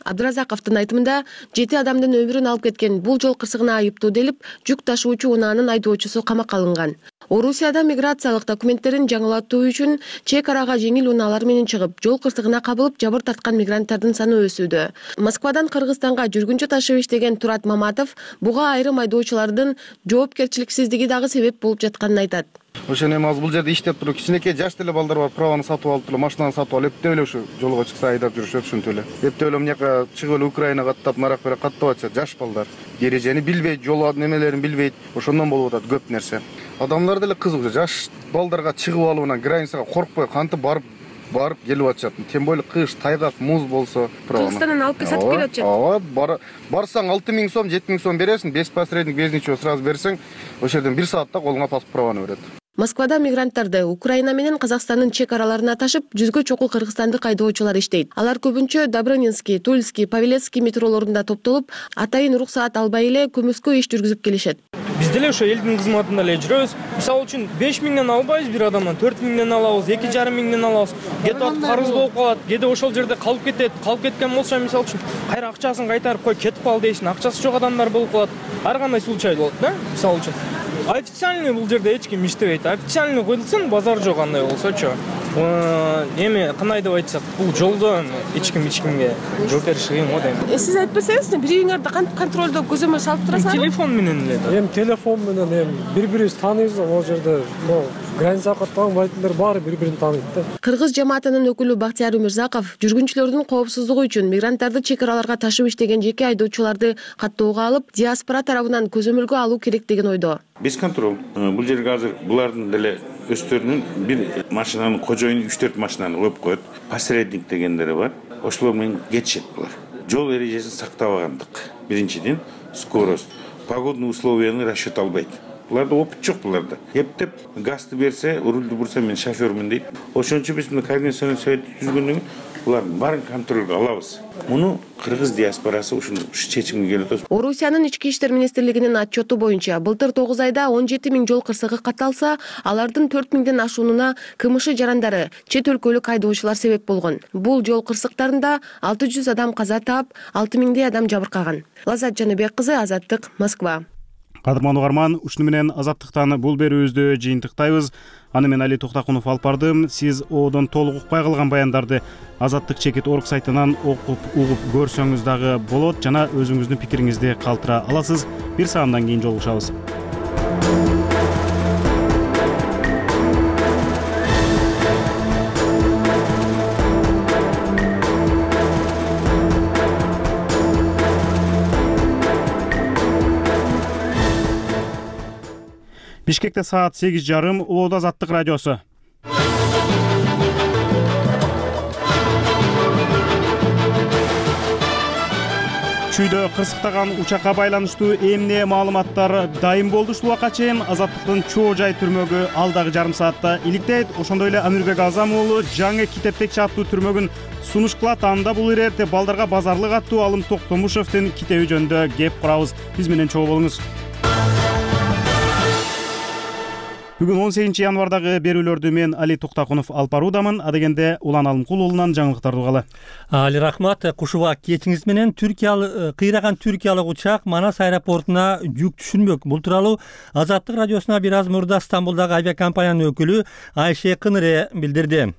Абдыразаковдун айтымында 7 адамдын өмүрүн алып кеткен бул жол кырсыгына айыптуу делип, жүк ташуучу унаанын айдоочусу камакка алынган. Орусияда миграциялык документтерин жаңылатуу үчүн чек арага жеңил унаалар менен чыгып, жол кырсыгына кабылып жабыр тарткан мигранттардын саны өсүүдө. Москвадан Кыргызстанга жүргүнчү ташып иштеген Турат Маматов буга айрым айдоочулардын жоопкерчиликсиздиги дагы себеп болуп жатканын айтат. Ошо эми азыр бул жерде иштеп туруп, кичинекей жаш деле балдар бар, праваны сатып алып туруп, машинаны сатып алып, эптеп эле ушу жолго чыкса айдап жүрүшөт ушинтип эле. Эптеп эле мынаяка чыгып эле Украинага аттап, нарак берип каттап атышат жаш балдар. Эрежени билбейт, жол немелерин билбейт. Ошондон болуп атат көп нерсе. Адамдар деле кызык, жаш балдарга чыгып алып, границага коркпой кантип барып келип атышат. Тем более кыш, тайгак, муз болсо, Кыргызстандан алып сатып келип атышат. Ооба, барсаң 6 миң сом, 7 миң сом бересиң, без посредник, без ничего сразу берсең, ошол жерден 1 саатта колуңа паспорт праваны берет. Москвада мигранттарды Украина менен Казакстандын чек араларына ташып, жүзгө чокул кыргызстандык айдоочулар иштейт. Алар көбүнчө Добрынинский, Тульский, Павелецкий метролорунда топтолуп, атайын уруксаат албай эле көмүскө иш жүргүзүп келишет. Биз деле ошо элдин кызматында эле жүрөбүз. Мисалы үчүн 5 миңден албайбыз бир адамдан, 4 миңден алабыз, 2,5 миңден алабыз. Кете карыз болуп калат, кеде ошол жерде калып кетет. Калып кеткен болсо, мисалы үчүн, кайра акчасын кайтарып кой, кетип ал дейсиң. Акчасы жок адамдар болуп калат. Ар кандай случай болот, да? Мисалы үчүн. Официальный бул жерде эч ким иштебейт. Официальный коюлсын, базар жок андай болсочу. Эми кандай деп айтсак, бул жолдон эч кимге жооп бериш кыйын го дейм. Сиз айтып берсеңиз, бириңерди кантип контролдоо көзөмөл салып турасызбы? Телефон менен эле. Эми телефон менен бири-бирибизди тааныйбыз, ал жерде границага каттаган водительдер баары бири-бирин тааныйт да. Кыргыз жамаатынын өкүлү Бактияр Өмүрзаков жүргүнчүлөрдүн коопсуздугу үчүн мигранттарды чек араларга ташып иштеген жеке айдоочуларды каттоого алып, диаспора тарабынан көзөмөлгө алуу керек деген ойдо. Без контроль. Бул жерге азыр булардын деле өздөрүнүн бир машинанын кожоюну 3-4 машинаны коюп коет. Посредник дегендери бар. Ошолор менен кетишет булар. жол эрежесин сактабагандык. Биринчиден скорость, погодный условияны расчет албайт. Буларда опыт жок буларда. Эптеп газды берсе, рульду бурса мен шофёрмун дейт. Ошон үчүн биз мына координационный совет түзгөндөн кийин булардын баарын контролго алабыз. Муну кыргыз диаспорасы ушул чечимге келип атат. Орусиянын ички иштер министрлигинин отчету боюнча былтыр 9 айда 17 000 жол кырсыгы катталса, алардын 4 000ден ашуунуна КМШ жарандары, чет өлкөлүк айдоочулар себеп болгон. Бул жол кырсыктарында 600 адам каза таап, 6 000дей адам жабыркаган. Лазат Жаныбек кызы, Азаттык, Москва. Кадырман угарман, ушуну менен Азаттыктан бул берүүбүздү жыйынтыктайбыз. Аны мен Али Токтакунов алып бардым. Сиз одон толук укпай калган баяндарды Азаттык.org сайтынан окуп, угуп көрсөңүз дагы болот жана өзүңүздүн пикириңизди калтыра аласыз. Бир саамдан кийин жолугушабыз. Бишкекте саат 8:30, Улуу Азаттык радиосу. Чүйдө кырсыктаган учакка байланыштуу эмне маалыматтар дайым болду ушул убакка чейин. Азаттыктын чоо жай түрмөгү алдагы жарым саатта иликтейт. Ошондой эле Амирбек Азам уулу жаңы Китептекчи аттуу түрмөгүн сунуш кылат. Анда бул ирээте балдарга базарлык аттуу Алым Токтомушевдин китеби жөнүндө кеп курабыз. Биз менен чогуу болуңуз. Бүгүн 18 январдагы берүүлөрдү мен Али Токтакунов алып баруудамын. Адегенде Улан Алымкул уулунан жаңылыктарды угалы. Али рахмат. Кушуба кечиңиз менен кыйраган түркиялык учак Манас аэропортуна жүк түшүрмөк. Бул тууралуу Азаттык радиосуна бир аз мурда Стамбулдагы авиакомпаниянын өкүлү Айше Кыныре билдирди.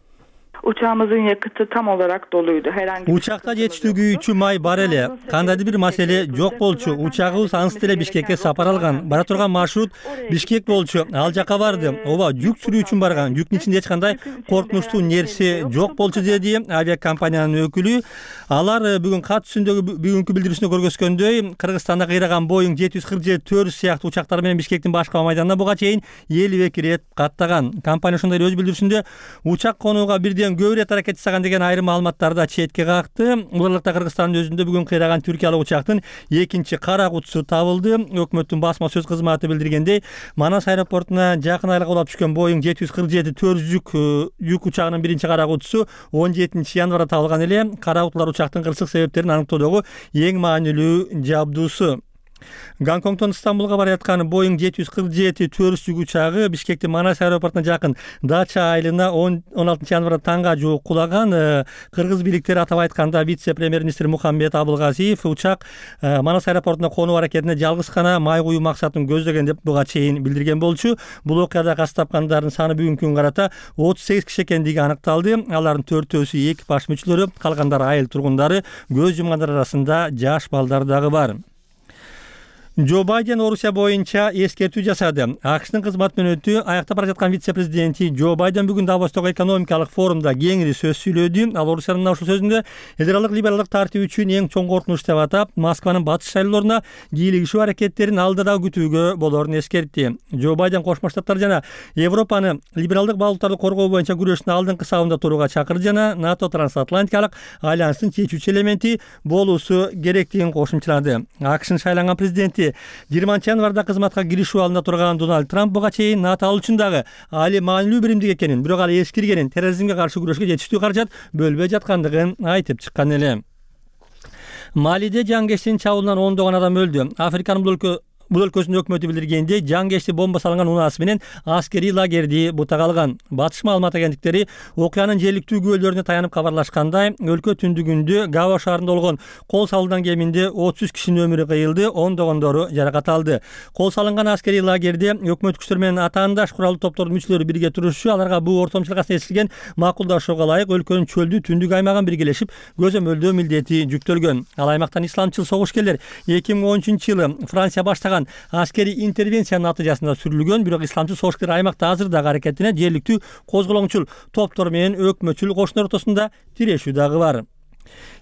Uçağımızın yakıtı tam olarak doluydu. Учакта жетиштүүлүгү үчүн май бар эле. Кандайдыр бир маселе жок болчу. Учагыбыз ансы деле Бишкекке сапар алган. Бара турган маршрут Бишкек болчу. Ал жака барды. Ооба, жүк сүрүү үчүн барган. Жүктүн ичинде эч кандай коркунучтуу нерсе жок болчу деди авиакомпаниянын өкүлү. Алар бүгүн кат түзүндөгү бүгүнкү билдирүүсүндө көргөзгөндөй, Кыргызстанда кыйраган Boeing 747-400 сыяктуу учактар менен Бишкектин башка майданына буга чейин 52 ирет каттаган. Компания ошондой эле өз билдирүүсүндө учак конууга бирден көп ирет аракет жасаган деген айрым маалыматтарды четке какты. Улуулукта Кыргызстандын өзүндө бүгүн кыйраган түркиялык учактын экинчи кара кутусу табылды. Өкмөттүн басма сөз кызматы билдиргендей, Манас аэропортуна жакын айлыкка улап түшкөн Boeing 747-400 жүк учагынын биринчи кара кутусу 17 январда табылган эле. Кара кутулар учактын кырсык себептерин аныктоодогу эң маанилүү жабдуусу. Гонконгдон Стамбулга бара жаткан Boeing 747-400 жүк учагы Бишкектин Манас аэропортуна жакын Дача айылына 16 январда таңга жуук кулаган. Кыргыз бийликтери атап айтканда вице-премьер-министр Мухаммед Абылгазиев учак Манас аэропортуна конуу аракетине жалгыз гана май куюу максатын көздөгөн деп буга чейин билдирген болчу. Бул окуяда каза тапкандардын саны бүгүнкү күнгө карата 38 киши экендиги аныкталды. Алардын 4-өсү экипаж мүчөлөрү, калгандары айыл тургундары, көз жумгандар арасында жаш балдар дагы бар. Джо Байден Орусия боюнча эскертүү жасады. АКШтын кызмат мөөнөтү аяктап бара жаткан вице-президенти Джо Байден бүгүн Давостогу экономикалык форумда кеңири сөз сүйлөдү. Ал Орусиянын ушул сөзүндө элдералык либералдык тартип үчүн эң чоң коркунуч деп атап, Москванын батыш шайлоолоруна кийлигишүү аракеттерин алдыда күтүүгө болорун эскертти. Джо Байден Кошмо Штаттар жана Европаны либералдык багыттарды коргоо боюнча күрөштүн алдыңкы сабында турууга чакырды жана НАТО трансатлантикалык альянстын чечүүчү элементи болуусу керектигин кошумчалады. АКШнын шайланган президенти 20 январда кызматка киришүү алдында турган Дональд Трамп буга чейин НАТО ал үчүн дагы али маанилүү биримдик экенин, бирок ал эскиргенин, терроризмге каршы күрөшкө жетиштүү каражат бөлбөй жаткандыгын айтып чыккан эле. Малиде жаңгештин чабуулунан ондогон адам өлдү. Африканын бул өлкөсүнүн өкмөтү билдиргендей, жаңгешти бомба салынган унаасы менен аскерий лагерди бутак алган. Батыш маалымат агенттиктери окуянын жергиликтүү күбөлөрүнө таянып кабарлашкандай, өлкө түндүгүндө Гао шаарында болгон кол салуудан кеминде 33 кишинин өмүрү кыйылды, ондогондору жаракат алды. Кол салынган аскерий лагерде өкмөт күчтөр менен атаандаш куралдуу топтордун мүчөлөрү бирге турушчу. Аларга бул ортомчулукка эсилген макулдашууга ылайык өлкөнүн чөлдүү түндүк аймагын биргелешип көзөмөлдөө милдети жүктөлгөн. Ал аймактан исламчыл согушкерлер 2013-жылы Франция баштаган аскерий интервенциянын натыйжасында сүрүлгөн, бирок исламчыл согушкерлер аймакта азырдагы аракетине жергиликтүү козголоңчул топтор менен өкмөтчүл кошуналар ортосунда тирешүү дагы бар.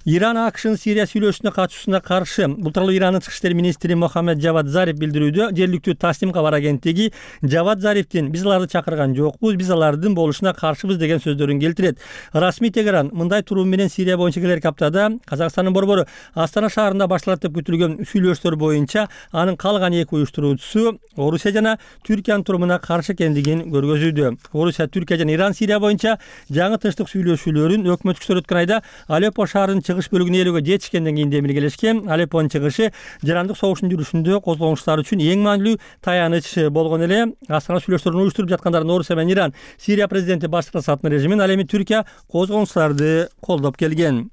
Иран АКШнын Сирия сүйлөшүүнүнө катышуусуна каршы. Бул тууралуу Ирандын тышкы иштер министри Мохаммед Жавад Зариф билдирүүдө. Жергиликтүү Таслим кабар агенттиги Жавад Зарифтин "Биз аларды чакырган жокпуз, биз алардын болушуна каршыбыз" деген сөздөрүн келтирет. Расмий Тегеран мындай турум менен Сирия боюнча келерки аптада Казакстандын борбору Астана шаарында башталат деп күтүлгөн сүйлөшүүлөр боюнча анын калган эки уюштуруучусу Орусия жана Түркиянын турумуна каршы экендигин көргөзүүдө. Орусия, Түркия жана Иран Сирия боюнча жаңы тынчтык сүйлөшүүлөрүн өкмөт күчтөрү өткөн айда Алеппо шаарынын чыгыш бөлүгүн ээлөөгө жетишкенден кийин демилгелешкен. Алеппонун чыгышы жарандык согуштун жүрүшүндө козголгучтар үчүн эң маанилүү таяныч болгон эле. Астана сүйлөшүүлөрүн уюштуруп жаткандардын Орусия менен Иран, Сирия президенти Башар Асаддын режимин, ал эми Түркия козголгучтарды колдоп келген.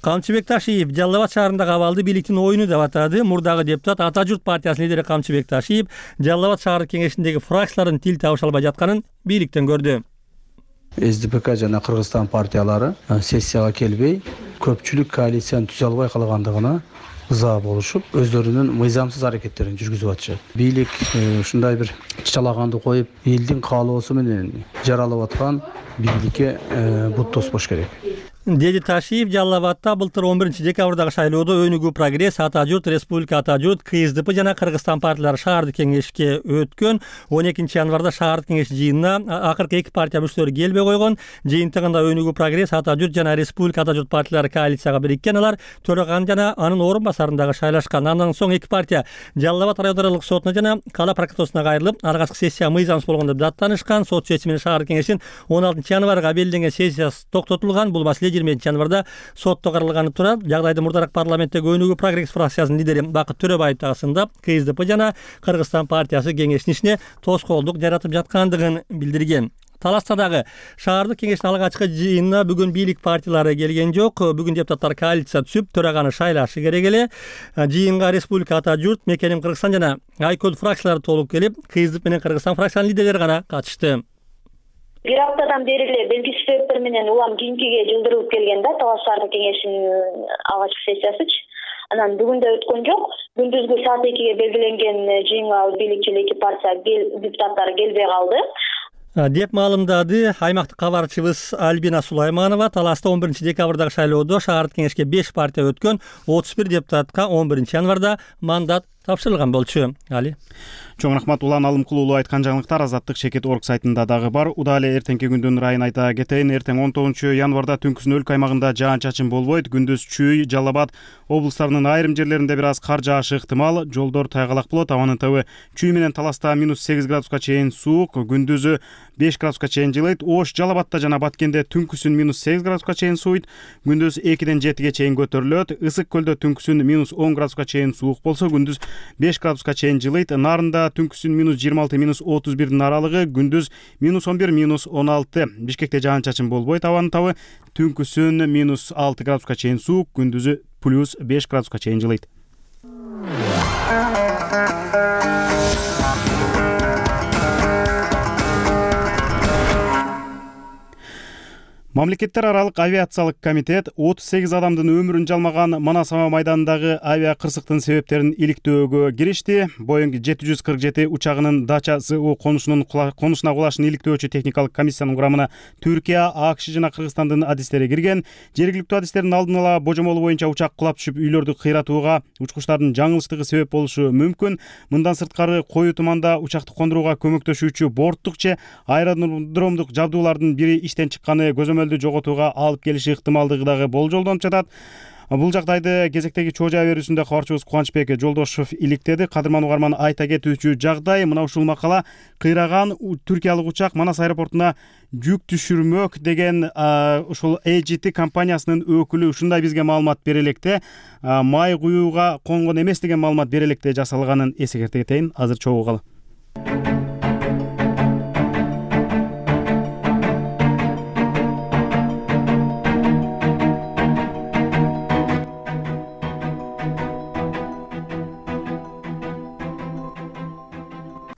Камчыбек Ташиев Жалал Абад шаарындагы абалды бийликтин оюну деп атады. Мурдагы депутат Ата журт партиясынын лидери Камчыбек Ташиев Жалал Абад шаардык кеңешиндеги фракциялардын тил табыша албай жатканын бийликтен көрдү. СДПК жана Кыргызстан партиялары сессияга келбей, көпчүлүк коалицияны түзө албай калгандыгына ыза болушуп, өздөрүнүн мыйзамсыз аракеттерин жүргүзүп атышат. Бийлик ушундай бир чалаганды коюп, элдин каалоосу менен жаралып аткан бийликке бут тоспош керек. Деди Ташиев Жалал Абадда былтыр 11 декабрдагы шайлоодо Өнүгүү Прогресс, Ата журт, Республика Ата журт, КСДП жана Кыргызстан партиялары шаардык кеңешке өткөн. 12 январда шаардык кеңеш жыйынына акыркы эки партия мүчөлөрү келбей койгон. Жыйынтыгында Өнүгүү Прогресс, Ата журт жана Республика Ата журт партиялары коалицияга бириккен. Алар төраган жана анын орун басарындагы шайлашкан. Андан соң эки партия Жалал Абад райондоралык сотуна жана Кала прокуратурасына кайрылып, аргасыз сессия мыйзамсыз болгон деп даттанышкан. Сот чечими менен шаардык кеңештин 16 январга белгиленген сессиясы токтотулган. Бул маселе 20 январда сотто каралганы турат. Жагдайды мурдараак парламенттеги Өнүгүү Прогресс фракциясынын лидери Бакыт Төрөбаев дагы сындап, КСДП жана Кыргызстан партиясы кеңештин ишине тоскоолдук жаратып жаткандыгын билдирген. Таласта дагы шаардык кеңештин алгачкы жыйынына бүгүн бийлик партиялары келген жок. Бүгүн депутаттар коалиция түзүп, төраганы шайлашы керек эле. Жыйынга Республика Ата журт, Мекеним Кыргызстан жана Айкөл фракциялары толуп келип, КСДП менен Кыргызстан фракциянын лидерлери гана катышты. Бир аптадан бери эле белгисиз себептер менен улам кийинкиге жылдырылып келген да Талас шаардык кеңешинин алгачкы сессиясычы. Анан бүгүн да өткөн жок. Күндүзгү саат 2-ге белгиленген жыйынга бийликчил эки партия депутаттары келбей калды деп маалымдады аймактык кабарчыбыз Альбина Сулайманова. Таласта 11 декабрдагы шайлоодо шаардык кеңешке 5 партия өткөн, 31 депутатка 11 январда мандат тапшырылган болчу. Али. Чоң рахмат. Улан Алымкулуулу айткан жаңылыктар Азаттык Шекет орг сайтында дагы бар. Удаа эле эртеңки күндүн ырайын айта кетейин. Эртең 19 январда түнкүсүн өлкө аймагында жаан-чачын болбойт. Күндүз Чүй, Жалал Абад облустарынын айрым жерлеринде бир аз кар жаашы ыктымал. Жолдор тайгалак болот. Абанын табы Чүй менен Таласта -8 градуска чейин суук, күндүзү 5 градуска чейин жылыйт. Ош, Жалал Абадта жана Баткенде түнкүсүн -8 градуска чейин сууйт. Күндүз 2-ден 7-ге чейин көтөрүлөт. Ысык көлдө түнкүсүн -10 градуска чейин суук болсо, күндүз 5 градуска чейин жылыйт. Нарында түнкүсүн -26, -31дин аралыгы, күндүз -11, -16. Бишкекте жаан-чачын болбойт. Абанын табы түнкүсүн -6 градуска чейин суук, күндүзү +5 градуска чейин жылыйт. Мамлекеттер аралык авиациялык комитет 38 адамдын өмүрүн жалмаган Манас аба майданындагы авиа кырсыктын себептерин иликтөөгө киришти. Boeing 747 учагынын Дача СУ конушуна кулашын иликтөөчү техникалык комиссиянын курамына Түркия, АКШ жана Кыргызстандын адистери кирген. Жергиликтүү адистердин алдын ала божомолу боюнча учак кулап түшүп үйлөрдү кыйратууга, учкучтардын жаңылыштыгы себеп болушу мүмкүн. Мындан сырткары коюу туманда учакты кондурууга көмөктөшүүчү борттук же аэродромдук жабдуулардын бири иштен чыкканы жоготууга алып келиши ыктымалдыгы дагы болжолдонуп жатат. Бул жагдайды кезектеги чоо жаа берүүсүндө кабарчыбыз Кубанычбек Жолдошов иликтеди. Кадырман угарман айта кетүүчү жагдай мына ушул макала кыйраган түркиялык учак Манас аэропортуна жүк түшүрмөк деген ушул AGT компаниясынын өкүлү ушундай бизге маалымат бере электе. Май куюуга конгон эмес деген маалымат бере электе жасалганын эсекерте кетейин. Азыр чогуу калы.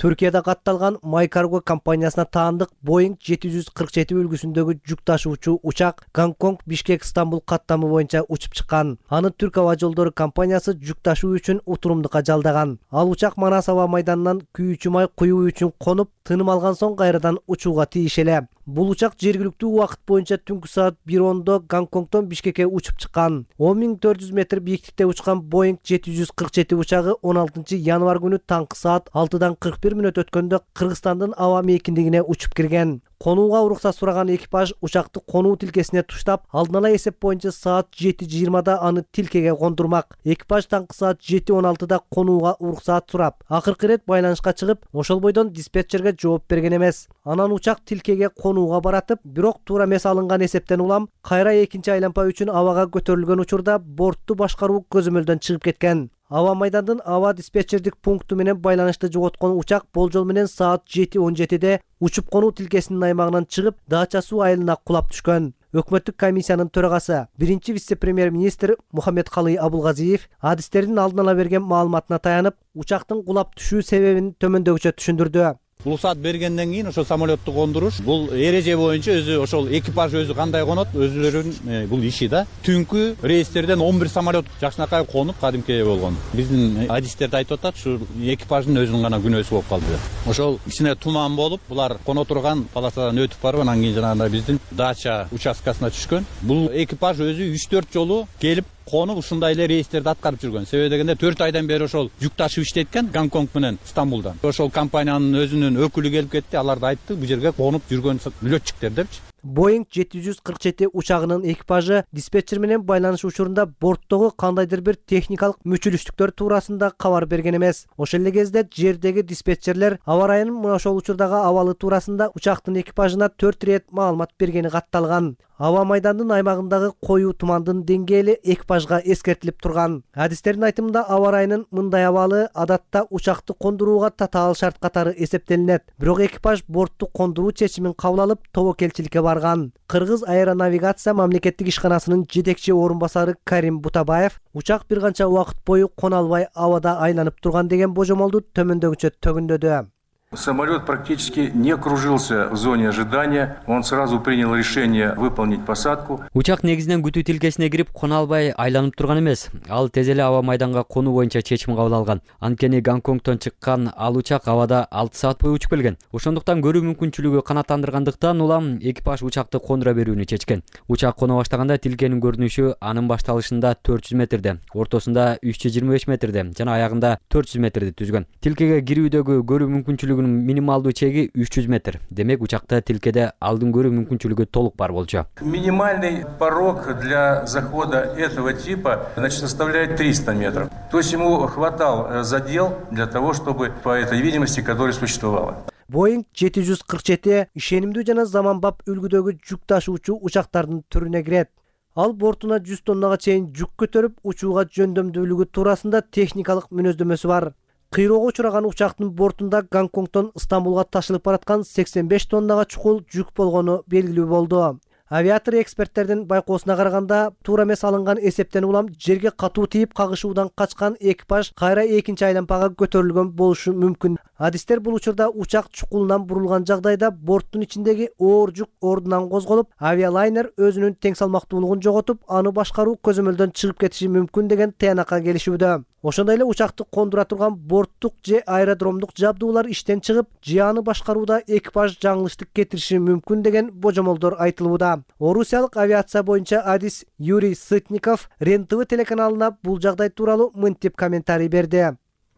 Түркияда катталган Май Карго компаниясына таандык Boeing 747 үлгүсүндөгү жүк ташуучу учак Гонконг Бишкек Стамбул каттамы боюнча учуп чыккан. Аны Түрк аба жолдору компаниясы жүк ташуу үчүн утурумдукка жалдаган. Ал учак Манас аба майданынан күйүүчү май куюу үчүн конуп, тыным алган соң кайрадан учууга тийиш эле. Бул учак жергиликтүү убакыт боюнча түнкү саат 1:10 Гонконгдон Бишкекке учуп чыккан. 10.400 метр бийиктикте учкан Boeing 747 учагы 16 январь күнү таңкы саат 6:41 өткөндө Кыргызстандын аба мейкиндигине учуп кирген. Конууга уруксат сураган экипаж учакты конуу тилкесине туштап, алдын ала эсеп боюнча саат 7:20 аны тилкеге кондурмак. Экипаж таңкы саат 7:16 конууга уруксат сурап, акыркы ирет байланышка чыгып, ошол бойдон диспетчерге жооп берген эмес. Анан учак тилкеге конууга баратып, бирок туура эмес алынган эсептен улам кайра экинчи айланпа үчүн абага көтөрүлгөн учурда бортту башкаруу көзөмөлдөн чыгып кеткен. Аба майдандын аба диспетчердик пункту менен байланышты жоготкон учак болжол менен саат 7:17 учуп конуу тилкесинин аймагынан чыгып, Дача суу айылына кулап түшкөн. Өкмөттүк комиссиянын төрагасы, биринчи вице-премьер-министр Мухаммедкалый Абулгазиев адистердин алдын ала берген маалыматына таянып, учактын кулап түшүү себебин төмөндөгүчө түшүндүрдү. Уруксат бергенден кийин ошол самолетту кондуруш бул эреже боюнча өзү ошол экипаж өзү кандай конот, өзүлөрүнүн бул иши да. Түнкү рейстерден 11 самолет жакшынакай конуп кадимки болгон. Биздин адистерди айтып атат, ушу экипаждын өзүнүн гана күнөөсү болуп калды. Ошол кичине туман болуп, булар коно турган полосадан өтүп барып, анан кийин жанагындай биздин Дача участкасына түшкөн. Бул экипаж өзү 3-4 жолу келип конуп ушундай эле рейстерди аткарып жүргөн. Себеби дегенде 4 айдан бери ошол жүк ташып иштейт экен Гонконг менен Стамбулдан. Ошол компаниянын өзүнүн өкүлү келип кетти, аларды айтты, бул жерге конуп жүргөн летчиктер депчи. Boeing 747 учагынын экипажы диспетчер менен байланыш учурунда борттогу кандайдыр бир техникалык мүчүлүштүктөр туурасында кабар берген эмес. Ошол эле кезде жердеги диспетчерлер аба ырайынын мына ошол учурдагы абалы туурасында учактын экипажына 4 ирет маалымат бергени катталган. Аба майдандын аймагындагы коюу тумандын деңгээли экипажга эскертилип турган. Адистердин айтымында аба ырайынын мындай абалы адатта учакты кондурууга татаал шарт катары эсептелинет. Бирок экипаж бортту кондуруу чечимин кабыл алып, тобокелчиликке барган. Кыргыз аэронавигация мамлекеттик ишканасынын жетекчи орун басары Карим Бутабаев учак бир канча убакыт бою кона албай абада айланып турган деген божомолду төмөндөгүчө төгүндөдү. Самолет практически не кружился в зоне ожидания. Он сразу принял решение выполнить посадку. Учак негизинен күтүү тилкесине кирип, кона албай айланып турган эмес. Ал тез эле аба майданга конуу боюнча чечим кабыл алган. Анткени Гонконгдон чыккан ал учак абада 6 саат бою учуп келген. Ошондуктан көрүү мүмкүнчүлүгү канааттандыргандыктан улам экипаж учакты кондура берүүнү чечкен. Учак коно баштаганда тилкенин көрүнүшү анын башталышында 400 метрде, ортосунда 325 метрде жана аягында 400 метрди түзгөн. Тилкеге кирүүдөгү көрүү мүмкүнчүлүгүнүн минималдуу чеги 300 метр. Демек учакта тилкеде алдын көрүү мүмкүнчүлүгү толук бар болчу. Минимальный порог для захода этого типа, составляет 300 метров. То есть ему хватал задел для того, чтобы по этой видимости, которая существовала. Boeing 747 ишенимдүү жана заманбап үлгүдөгү жүк ташуучу учактардын түрүнө кирет. Ал бортуна 100 тоннага чейин жүк көтөрүп, учууга жөндөмдүүлүгү туурасында техникалык мүнөздөмөсү бар. Кыйроого учураган учактын бортунда Гонконгдон Стамбулга ташылып бараткан 85 тоннага чукул жүк болгону белгилүү болду. Авиатор эксперттердин байкоосуна караганда, туура эмес алынган эсептен улам жерге катуу тийип кагышуудан качкан экипаж кайра экинчи айланпага көтөрүлгөн болушу мүмкүн. Адистер бул учурда учак чукулунан бурулган жагдайда борттун ичиндеги оор жүк ордунан козголуп, авиалайнер өзүнүн тең салмактуулугун жоготуп, аны башкаруу көзөмөлдөн чыгып кетиши мүмкүн деген тыянакка келишүүдө. Ошондой эле учакты кондура турган борттук же аэродромдук жабдуулар иштен чыгып, же аны башкарууда экипаж жаңылыштык кетириши мүмкүн деген божомолдор айтылууда. Орусиялык авиация боюнча адис Юрий Сытников РЕН-ТВ телеканалына бул жагдай тууралуу мынтип комментарий берди.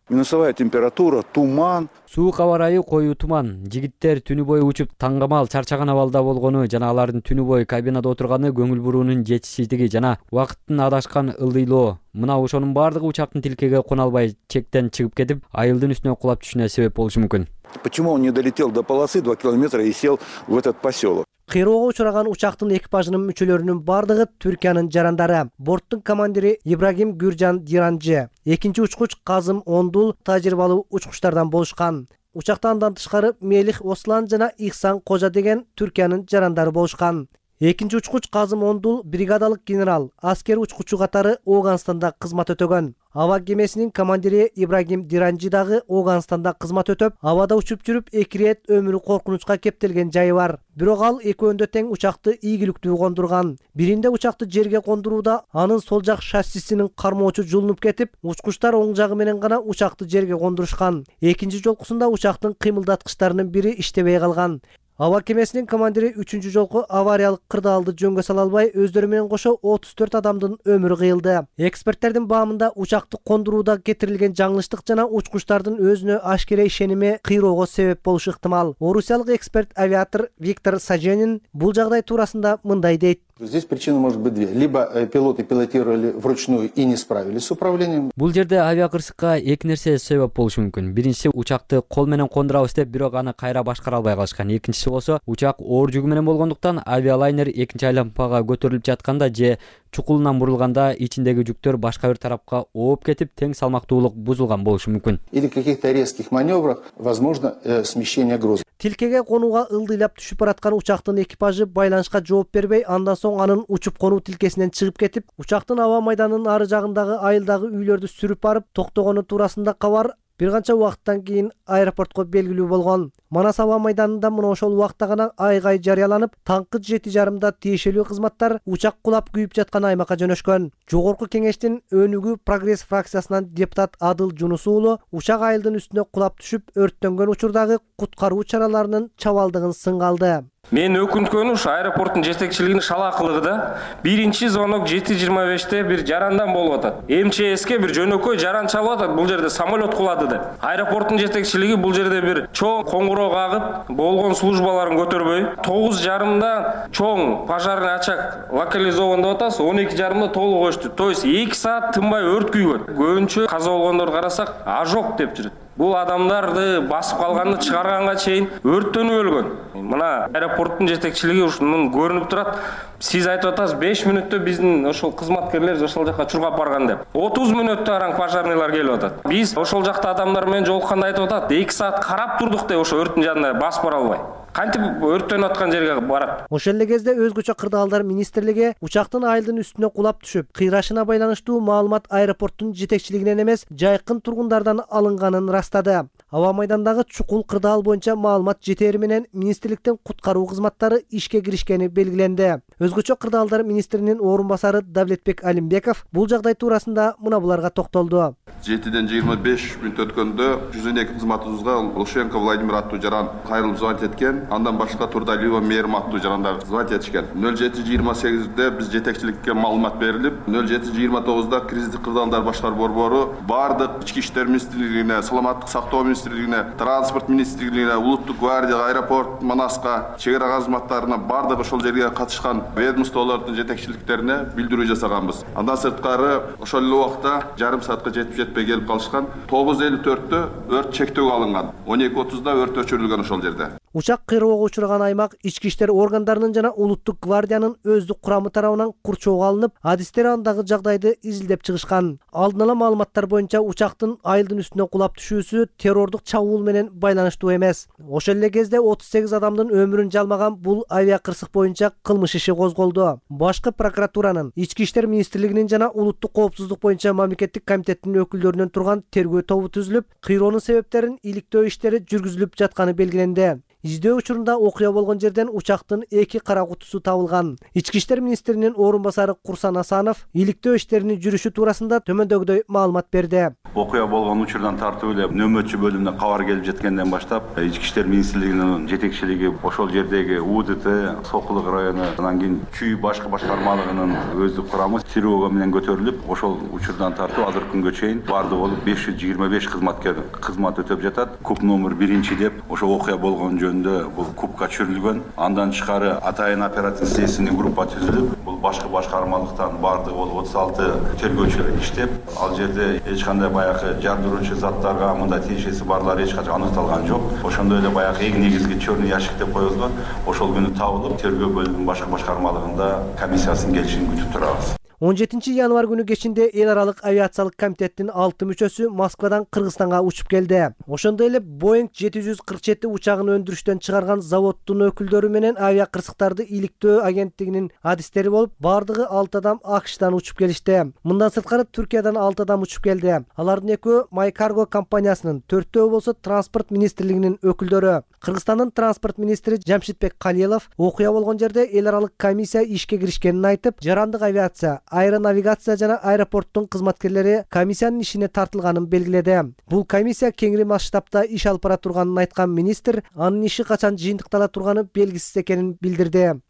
Минусовая температура, туман. Суук аба ырайы коюу туман. Жигиттер түнү бою учуп таңгамал чарчаган абалда болгону жана алардын түнү бою кабинада отурганы көңүл буруунун жетишсиздиги жана убакыттын адашкан ылдыйлоо. Мына ошонун бардыгы учактын тилкеге кона албай чектен чыгып кетип, айылдын үстүнө кулап түшүнө себеп болушу мүмкүн. Почему он не долетел до полосы 2 километра и сел в этот поселок? Кыйроого учураган учактын экипажынын мүчөлөрүнүн бардыгы Түркиянын жарандары. Борттун командири Ибрагим Гүржан Диранжы, экинчи учкуч Казым Ондул тажрыйбалуу учкучтардан болушкан. Учакта андан тышкары Мелих Ослан жана Ихсан Кожа деген Түркиянын жарандары болушкан. Экинчи учкуч Казым Ондул бригадалык генерал, аскер учкучу катары Ооганстанда кызмат өтөгөн. Аба кемесинин командири Ибрагим Диранжи дагы Ооганстанда кызмат өтөп, абада учуп жүрүп 2 рет өмүрү коркунучка кептелген жайы бар. Бирок ал экөөндө тең учакты ийгиликтүү кондурган. Биринде учакты жерге кондурууда анын сол жак шассисинин кармоочу жулунуп кетип, учкучтар оң жагы менен гана учакты жерге кондурушкан. Экинчи жолкусунда учактын кыймылдаткычтарынын бири иштебей калган. Аба кемесинин командири 3 жолку авариялык кырдаалды жөнгө сала албай, өздөрү менен кошо 34 адамдын өмүрү кыйылды. Эксперттердин баамында учакты кондурууда кетирилген жаңылыштык жана учкучтардын өзүнө ашкере ишеними кыйроого себеп болушу ыктымал. Орусиялык эксперт авиатор Виктор Саженин бул жагдай туурасында мындай дейт. Здесь причина может быть две. Либо пилоты пилотировали вручную и не справились с управлением. Бул жерде авиакырсыкка эки нерсе себеп болушу мүмкүн. Биринчиси, учакты кол менен кондурабыз деп, бирок аны кайра башкара албай калышкан. Экинчиси болсо, учак оор жүгү менен болгондуктан авиалайнер экинчи айланпага көтөрүлүп жатканда же чукулунан бурулганда ичиндеги жүктөр башка бир тарапка ооп кетип, тең салмактуулук бузулган болушу мүмкүн. Или каких-то резких маневрах возможно смещение груза. Тилкеге конууга ылдыйлап түшүп бараткан учактын экипажы байланышка жооп бербей, андан соң анын учуп конуу тилкесинен чыгып кетип, учактын аба майданынын ары жагындагы айылдагы үйлөрдү сүрүп барып токтогону туурасында кабар бир канча убакыттан кийин аэропортко белгилүү болгон. Манас аба майданында мына ошол убакта гана айгай жарыяланып, таңкы 7:30 тиешелүү кызматтар учак кулап күйүп жаткан аймакка жөнөшкөн. Жогорку кеңештин өнүгүү прогресс фракциясынан депутат Адыл Жунус уулу учак айылдын үстүнө кулап түшүп өрттөнгөн учурдагы куткаруу чараларынын чабалдыгын сынга алды. Мен өкүнткөнү ушу аэропорттун жетекчилигинин шалаакылыгы да. Биринчи звонок 7:25 бир жарандан болуп атат. МЧСке бир жөнөкөй жаран чалып атат, бул жерде самолет кулады деп. Аэропорттун жетекчилиги бул жерде бир чоң коңгуроо кагып, болгон службаларын көтөрбөй, 9:30 чоң пожарный очаг локализован деп атабыз, 12:30 толук өчтү. То есть 2 саат тынбай өрт күйгөн. Көбүнчө каза болгондорду карасак, ожог деп жүрөт. Бул адамдарды басып калганды чыгарганга чейин өрттөнүп өлгөн. Мына аэропорттун жетекчилиги ушунун көрүнүп турат. Сиз айтып атасыз 5 мүнөттө биздин ошол кызматкерлер ошол жака чургап барган деп. 30 мүнөттө араң пожарныйлар келип атат. Биз ошол жакта адамдар менен жолукканда айтып атат, 2 саат карап турдук деп ошо өрттүн жанына басып бара албай. Кантип өрттөнүп аткан жерге барат. Ошол эле кезде өзгөчө кырдаалдар министрлиги учактын айылдын үстүнө кулап түшүп, кыйрашына байланыштуу маалымат аэропорттун жетекчилигинен эмес, жайкын тургундардан алынганын растады. Аба майдандагы чукул кырдаал боюнча маалымат жетери менен министрликтин куткаруу кызматтары ишке киришкени белгиленди. Өзгөчө кырдаалдар министринин орун басары Давлетбек Алимбеков бул жагдай туурасында мына буларга токтолду. 7-ден 25 мүнөт өткөндө 102 кызматыбызга Лушенко Владимир аттуу жаран кайрылып звонить эткен. Андан башка Турдалиева Мээрим аттуу жарандар звонить этишкен. 07:28-де биз жетекчиликке маалымат берилип, 07:29-да кризистик кырдаалдар башкаруу борбору бардык ички иштер министрлигине, саламаттык сактоо министрлигине, транспорт министрлигине, улуттук гвардия, аэропорт, Манаска, чек ара кызматтарына бардык ошол жерге катышкан ведомстволордун жетекчиликтерине билдирүү жасаганбыз. Андан сырткары ошол эле убакта жарым саатка жетпей келип калышкан. 9:54-тө өрт чектөөгө алынган. 12:30-да өрт өчүрүлгөн ошол жерде. Учак кыйроого учураган аймак ички иштер органдарынын жана улуттук гвардиянын өздүк курамы тарабынан курчоого алынып, адистер андагы жагдайды изилдеп чыгышкан. Алдын ала маалыматтар боюнча учактын айылдын үстүнө кулап түшүүсү террордук чабуул менен байланыштуу эмес. Ошол эле кезде 38 адамдын өмүрүн жалмаган бул авиакырсык боюнча кылмыш иши козголду. Башкы прокуратуранын, ички иштер министрлигинин жана улуттук коопсуздук боюнча мамлекеттик комитеттин өкүлдөрүнөн турган тергөө тобу түзүлүп, кыйроонун себептерин иликтөө иштери жүргүзүлүп жатканы белгиленди. Издөө учурунда окуя болгон жерден учактын 2 кара кутусу табылган. Ички иштер министринин орун басары Курсан Асанов иликтөө иштеринин жүрүшү туурасында төмөндөгүдөй маалымат берди. Окуя болгон учурдан тартып эле нөмөтчү бөлүмүнө кабар келип жеткенден баштап, ички иштер министрлигинин жетекчилиги ошол жердеги УДТ, Сокулук району, андан кийин Чүй башкы башкармалыгынын өздүк курамы тревога менен көтөрүлүп, ошол учурдан тартып азыркы күнгө чейин баардыгы болуп 525 кызматкер кызмат өтөп жатат. Куп номер 1 деп ошол окуя болгон бул кубка чүрүлгөн. Андан тышкары атайын оперативдик следственный группа түзүлүп, бул башкы башкармалыктан бардыгы болуп 36 тергөөчүлөр иштеп, ал жерде эч кандай баягы жардыруучу заттарга мындай тиешеси барлары эч качан аныкталган жок. Ошондой эле баягы эң негизги чёрный ящик деп коюлган. Ошол күнү табылып, тергөө бөлүмүнүн башкы башкармалыгында комиссиясынын келишин күтүп турабыз. 17 январь күнү кечинде эл аралык авиациялык комитеттин 6 мүчөсү Москвадан Кыргызстанга учуп келди. Ошондой эле Boeing 747 учагын өндүрүштөн чыгарган заводдун өкүлдөрү менен авиакырсыктарды иликтөө агенттигинин адистери болуп, бардыгы 6 адам АКШдан учуп келишти. Мындан сырткары Түркиядан 6 адам учуп келди. Алардын экөө My Cargo компаниясынын, 4-төө болсо транспорт министрлигинин өкүлдөрү. Кыргызстандын транспорт министри Жамшитбек Калилов окуя болгон жерде эл аралык комиссия ишке киришкенин айтып, жарандык авиация, аэронавигация жана аэропорттун кызматкерлери комиссиянын ишине тартылганын белгиледи. Бул комиссия кеңири масштабта иш алып бара турганын айткан министр анын иши качан жыйынтыктала турганы белгисиз экенин билдирди.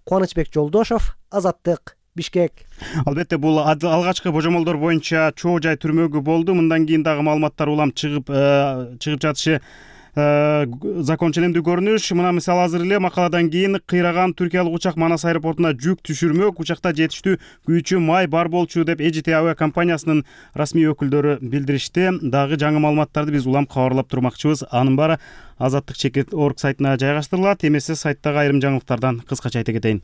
Кубанычбек Жолдошов, Азаттык, Бишкек. Албетте бул алгачкы божомолдор боюнча чоо жай түрмөгү болду. Мындан кийин дагы маалыматтар улам чыгып жатышы закончелемдүү көрүнүш. Мына мисалы азыр эле макаладан кийин кыйраган түркиялык учак Манас аэропортуна жүк түшүрмөк. Учакта жетиштүү күйүүчү май бар болчу деп EJT авиа компаниясынын расмий өкүлдөрү билдиришти. Дагы жаңы маалыматтарды биз улам кабарлап турмакчыбыз. Анын баары Азаттык.org сайтына жайгаштырылат. Эмесе сайттагы айрым жаңылыктардан кыскача айта кетейин.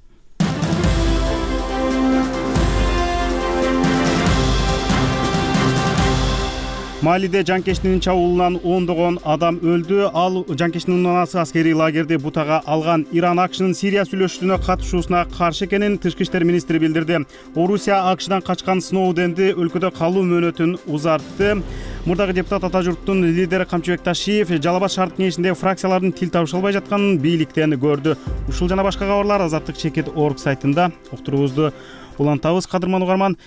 Малиде жанкечтинин чабуулунан ондогон адам өлдү. Ал жанкечтинин унаасы аскерий лагерди бутага алган. Иран АКШнын Сирия сүйлөшүүсүнө катышуусуна каршы экенин тышкы иштер министри билдирди. Орусия АКШдан качкан Сноуденди өлкөдө калуу мөөнөтүн узартты. Мурдагы депутат ата журттун лидери Камчыбек Ташиев Жалал Абад шаардык кеңешиндеги фракциялардын тил табыша албай жатканын бийликтен көрдү. Ушул жана башка кабарлар Азаттык.org сайтында. Уктуруубузду улантабыз, кадырман угарман.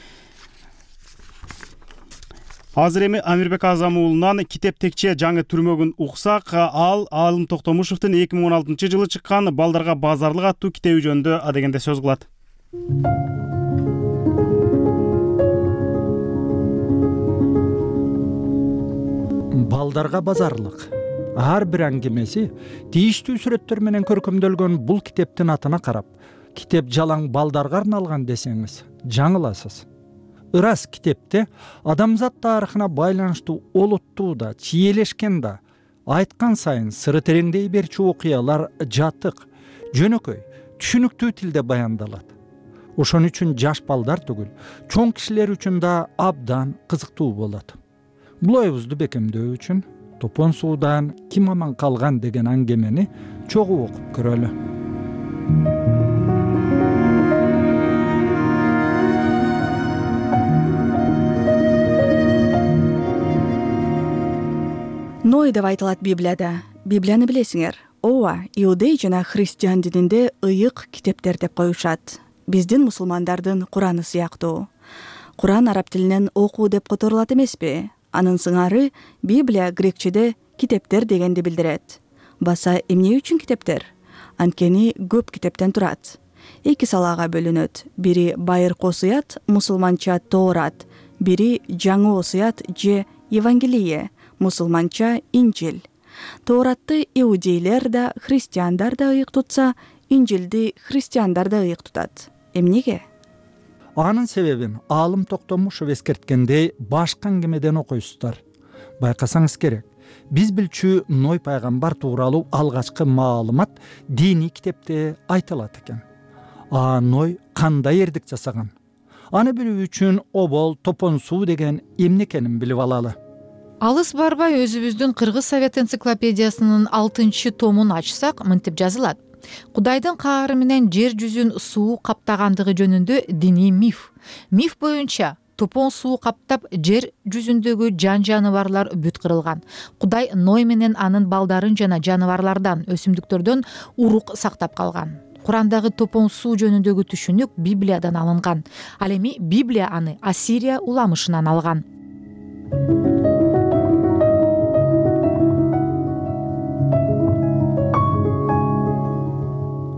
Азыр эми Амирбек Азам уулунан Китеп Текче жаңы түрмөгүн уксак. Ал Алым Токтомушевдин 2016-жылы чыккан Балдарга базарлык аттуу китеби жөнүндө адегенде сөз кылат. Балдарга базарлык ар бир аңгемеси тийиштүү сүрөттөр менен көркөмдөлгөн бул китептин атына карап, китеп жалаң балдарга арналган десеңиз жаңыласыз. Ырас китепте адамзат тарыхына байланыштуу олуттуу да, чиелешкен да, айткан сайын сыры тереңдей берчү окуялар жатык, жөнөкөй, түшүнүктүү тилде баяндалат. Ошон үчүн жаш балдар түгүл, чоң кишилер үчүн да абдан кызыктуу болот. Бул оюбузду бекемдөө үчүн Топон суудан ким аман калган деген аңгемени чогуу окуп көрөлү. Ной деп айтылат Библияда. Библияны билесиңер. Ооба, иудей жана христиан дининде ыйык китептер деп коюшат. Биздин мусулмандардын Кураны сыяктуу. Куран араб тилинен окуу деп которулат эмеспи? Анын сыңары Библия грекчеде китептер дегенди билдирет. Баса эмне үчүн китептер? Анткени көп китептен турат. Эки салага бөлүнөт. Бири байыркы осуят, мусулманча Тоорат, бири жаңы осуят же Евангелие, мусулманча Инжил. Тооратты иудейлер да, христиандар да ыйык тутса, Инжилди христиандар да ыйык тутат. Эмнеге? Анын себебин Алым Токтомушев эскерткендей башка аңгемеден окуйсуздар. Байкасаңыз керек, биз билчү Ной пайгамбар тууралуу алгачкы маалымат диний китепте айтылат экен. Ной кандай эрдик жасаган? Аны билүү үчүн обол, топон суу деген эмне экенин билип алалы. Алыс барбай өзүбүздүн Кыргыз Совет энциклопедиясынын 6-томун ачсак, мынтип жазылат. Кудайдын каары менен жер жүзүн суу каптагандыгы жөнүндө диний миф. Миф боюнча топон суу каптап жер жүзүндөгү жан жаныбарлар бүт кырылган. Кудай Ной менен анын балдарын жана жаныбарлардан, өсүмдүктөрдөн урук сактап калган. Курандагы топон суу жөнүндөгү түшүнүк Библиядан алынган. Ал эми Библия аны Ассирия уламышынан алган.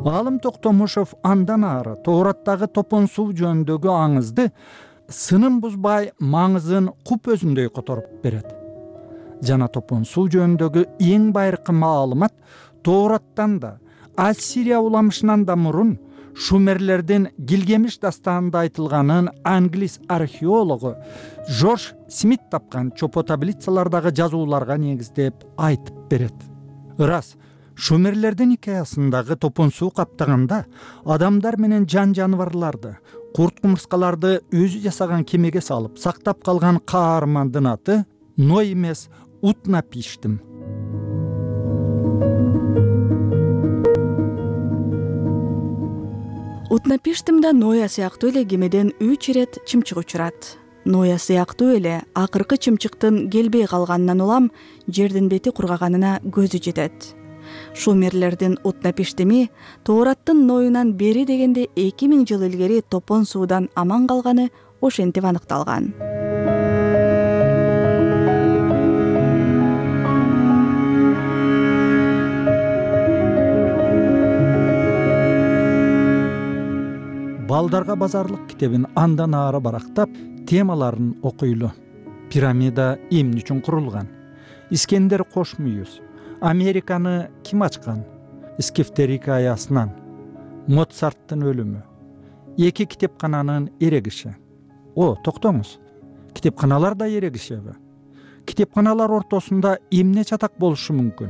Алым Токтомушев андан ары Тоораттагы топон суу жөнүндөгү аңызды сынын бузбай маңызын куп өзүндөй которуп берет. Жана топон суу жөнүндөгү эң байыркы маалымат Тоораттан да, Ассирия уламышынан да мурун Шумерлердин Гилгемиш дастанында айтылганын англис археологу Жорж Смит тапкан чопо таблицалардагы жазууларга негиздеп айтып берет. Ырас, Шумерлердин хикаясындагы топон суу каптаганда адамдар менен жан жаныбарларды, курт кумурскаларды өзү жасаган кемеге салып сактап калган каармандын аты Ной эмес, Утнапиштим. Утнапиштимде Ноя сыяктуу эле кемеден 3 ирет чымчык учурат. Ноя сыяктуу эле акыркы чымчыктын келбей калганынан улам жердин бети кургаганына көзү жетет. Шумерлердин Утнапиштими Тоораттын Ноюнан бери дегенде 2000 жыл илгери топон суудан аман калганы ошентип аныкталган. Балдарга базарлык китебин андан ары барактап, темаларын окуйлу. Пирамида эмне үчүн курулган? Искендер Кошмүйүз. Американы ким ачкан? Скифтер хикаясынан. Моцарттын өлүмү. Эки китепкананын эрегиши. Токтоңуз. Китепканалар да эрегишеби? Китепканалар ортосунда эмне чатак болушу мүмкүн?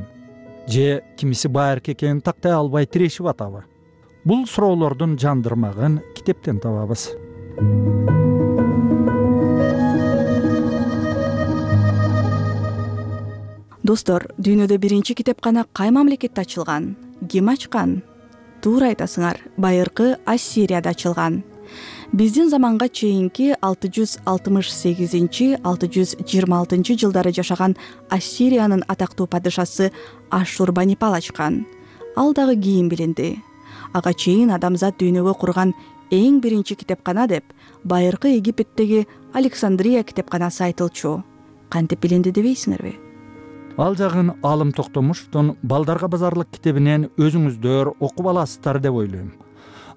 Же кимиси байыркы экенин тактай албай тирешип атабы? Бул суроолордун жандырмагын китептен табабыз. Достор, дүйнөдө биринчи китепкана кай мамлекетте ачылган? Ким ачкан? Туура айтасыңар, байыркы Ассирияда ачылган. Биздин заманга чейинки 668-626 жылдары жашаган Ассириянын атактуу падышасы Ашшурбанипал ачкан. Ал дагы кийин билинди. Ага чейин адамзат дүйнөгө курган эң биринчи китепкана деп байыркы Египеттеги Александрия китепканасы айтылчу. Кантип билинди дебейсиңерби? Ал жагын Алым Токтомушевдун Балдарга базарлык китебинен өзүңүздөр окуп аласыздар деп ойлойм.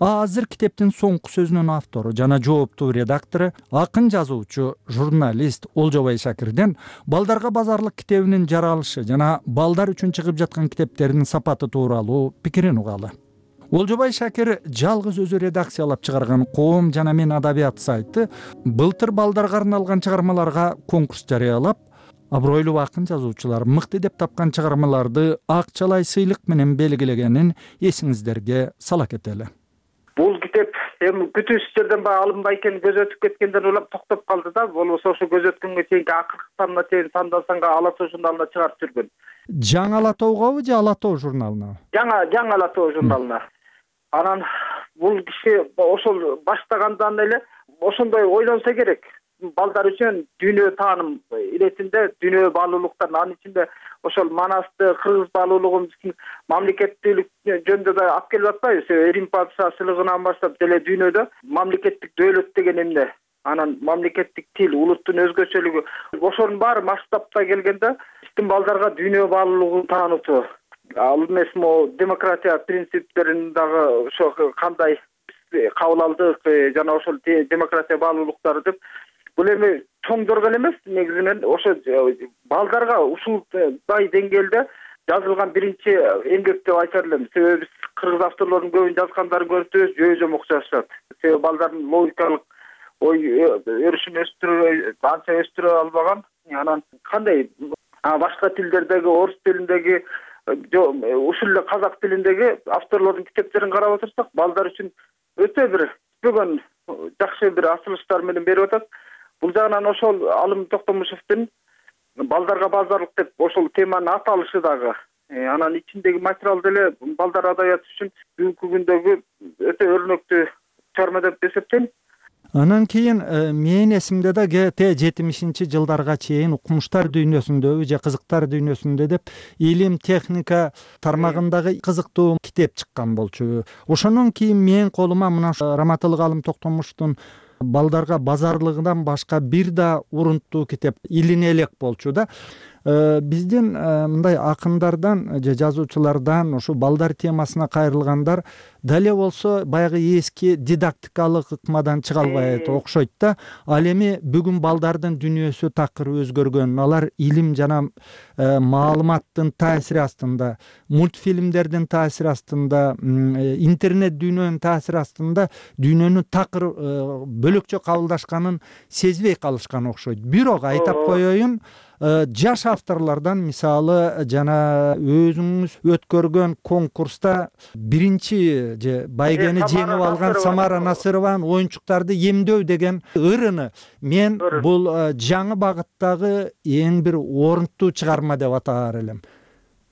Азыр китептин соңку сөзүнүн автору жана жооптуу редактору, акын жазуучу, журналист Олжобай Шакирден Балдарга базарлык китебинин жаралышы жана балдар үчүн чыгып жаткан китептердин сапаты тууралуу пикирин угалы. Олжобай Шакир жалгыз өзү редакциялап чыгарган Коом жана мен адабият сайты былтыр балдарга арналган чыгармаларга конкурс жарыялап, абройлуу акын жазуучулар мыкты деп тапкан чыгармаларды акчалай сыйлык менен белгилегенин эсиңиздерге сала кетели. Бул китеп эми күтүүсүз жерден баягы алынбай экени көз өтүп кеткенден улам токтоп калды да, болбосо ошо көз өткөнгө чейинки акыркы санына чейин сандан санга Ала тоо журналына чыгарып жүргөн. Жаңы Ала тоогабы же Ала тоо журналына? Жаңы Ала тоо журналына. Анан бул киши ошол баштагандан эле ошондой ойлонсо керек. Балдар үчүн дүйнө тааным иретинде дүйнө баалуулуктарын, анын ичинде ошол манасты, кыргыз баалуулугун биздин мамлекеттүүлүк жөнүндө да алып келип атпайбыз. Рим падышачылыгынан баштап деле дүйнөдө мамлекеттик дөөлөт деген эмне, анан мамлекеттик тил, улуттун өзгөчөлүгү, ошонун баары масштабта келгенде биздин балдарга дүйнө баалуулугун таанытуу, ал эмес могу демократия принциптерин дагы ошо кандай кабыл алдык жана ошол демократия баалуулуктары деп бул эми чоңдорго эле эмес, негизинен ошо балдарга ушундай деңгээлде жазылган биринчи эмгек деп айтар элем. Себеби биз кыргыз авторлордун көбүн жазгандарын көрүп турбуз, жөө-жомок жазышат. Себеби балдардын логикалык ой өрүшүн анча өстүрө албаган. Анан кандай башка тилдердеги, орус тилиндеги, ушул эле казак тилиндеги авторлордун китептерин карап отурсак, балдар үчүн өтө бир бүгүн жакшы бир асылыштар менен берип атат. Бул жагынан ошол Алым Токтомушевдин Балдарга базарлык деп ошол теманын аталышы дагы, анан ичиндеги материал деле балдар адабияты үчүн бүгүнкү күндөгү өтө өрнөктүү чыгарма деп эсептейм. Анан кийин менин эсимде да Т-70 жылдарга чейин укмуштар дүйнөсүндө же кызыктар дүйнөсүндө деп илим техника тармагындагы кызыктуу китеп чыккан болчу. Ошондон кийин менин колума мына Раматылык Алым Токтомуштун Балдарга базарлыгынан башка бир да урунттуу китеп илине элек болчу да. Биздин мындай акындардан же жазуучулардан ушу балдар темасына кайрылгандар дале болсо баягы эски дидактикалык ыкмадан чыга албай окшойт да. Ал эми бүгүн балдардын дүйнөсү такыр өзгөргөн. Алар илим жана маалыматтын таасири астында, мультфильмдердин таасири астында, интернет дүйнөнүн таасири астында дүйнөнү такыр бөлөкчө кабылдашканын сезбей калышкан окшойт. Бирок айтап коеюн, жаш авторлордон мисалы жана өзүңүз өткөргөн конкурста биринчи же байгени жеңип алган Самара Насырованын Оюнчуктарды эмдөө деген ырыны мен бул жаңы багыттагы эң бир орунттуу чыгарма деп атаар элем.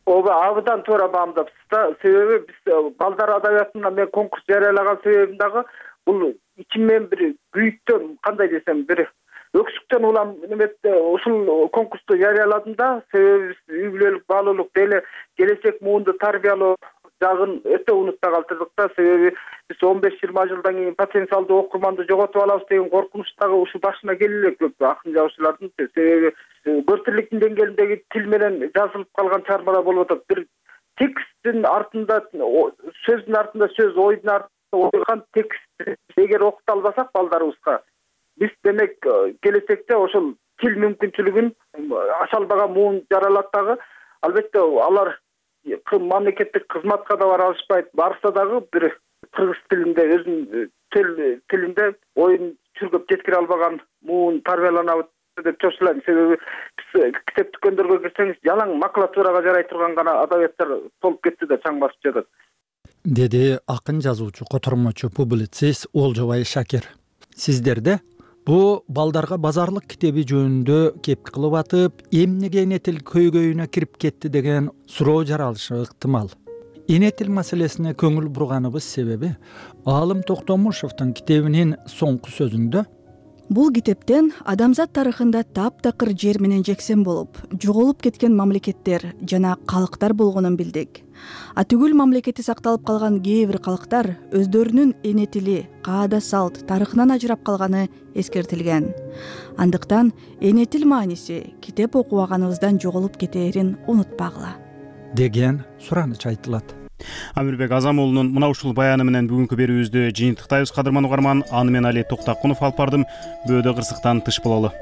Ооба, абдан туура баамдапсыз да. Себеби биз балдар адабиятына мен конкурс жарыялаган себебим дагы бул ичимден бир күйүктөн, кандай десем, бир өксүктөн улам неметте ушул конкурсту жарыяладым да, себеби үй бүлөлүк баалуулук деле келечек муунду тарбиялоо жагын өтө унутпай калтырдык да, себеби биз 15-20 жылдан кийин потенциалдуу окурманды жоготуп алабыз деген коркунуч дагы ушул башына келе элек көп акын жазуучулардын, себеби көртүрлүктүн деңгээлиндеги тил менен жазылып калган чыгармалар болуп атат. Бир тексттин артында сөздүн артында сөз, ойдун артында ойган текст эгер окута албасак балдарыбызга, биз демек келечекте ошол тил мүмкүнчүлүгүн ача албаган муун жаралат дагы. Албетте алар мамлекеттик кызматка да бара алышпайт, барса дагы бир кыргыз тилинде өзүнүн тилинде оюн чүргөп жеткире албаган муун тарбияланабы деп чочулайм. Себеби биз китеп дүкөндөргө кирсеңиз жалаң макулатурага жарай турган гана адабияттар толуп кетти да чаң басып жатат, деди акын жазуучу, котормочу, публицист Олжобай Шакир. Сиздерде бу балдарга базарлык китеби жөнүндө кепки кылып атып, эмнеге эне тил көйгөйүнө кирип кетти деген суроо жаралышы ыктымал. Эне тил маселесине көңүл бурганыбыз себеби Аалым Токтомушевдин китебинин соңку сөзүндө бул китептен адамзат тарыхында таптакыр жер менен жексен болуп, жоголуп кеткен мамлекеттер жана калктар болгонун билдик. Атүгүл мамлекети сакталып калган кээ бир калктар өздөрүнүн эне тили, каада салт, тарыхынан ажырап калганы эскертилген. Андыктан эне тил мааниси китеп окубаганыбыздан жоголуп кетээрин унутпагыла деген сураныч айтылат. Амирбек Азамуулунун мына ушул баяны менен бүгүнкү берүүбүздү жыйынтыктайбыз. Кадырман угарман, аны мен Али Токтакунов алып бардым. Бөөдө кырсыктан тыш бололу.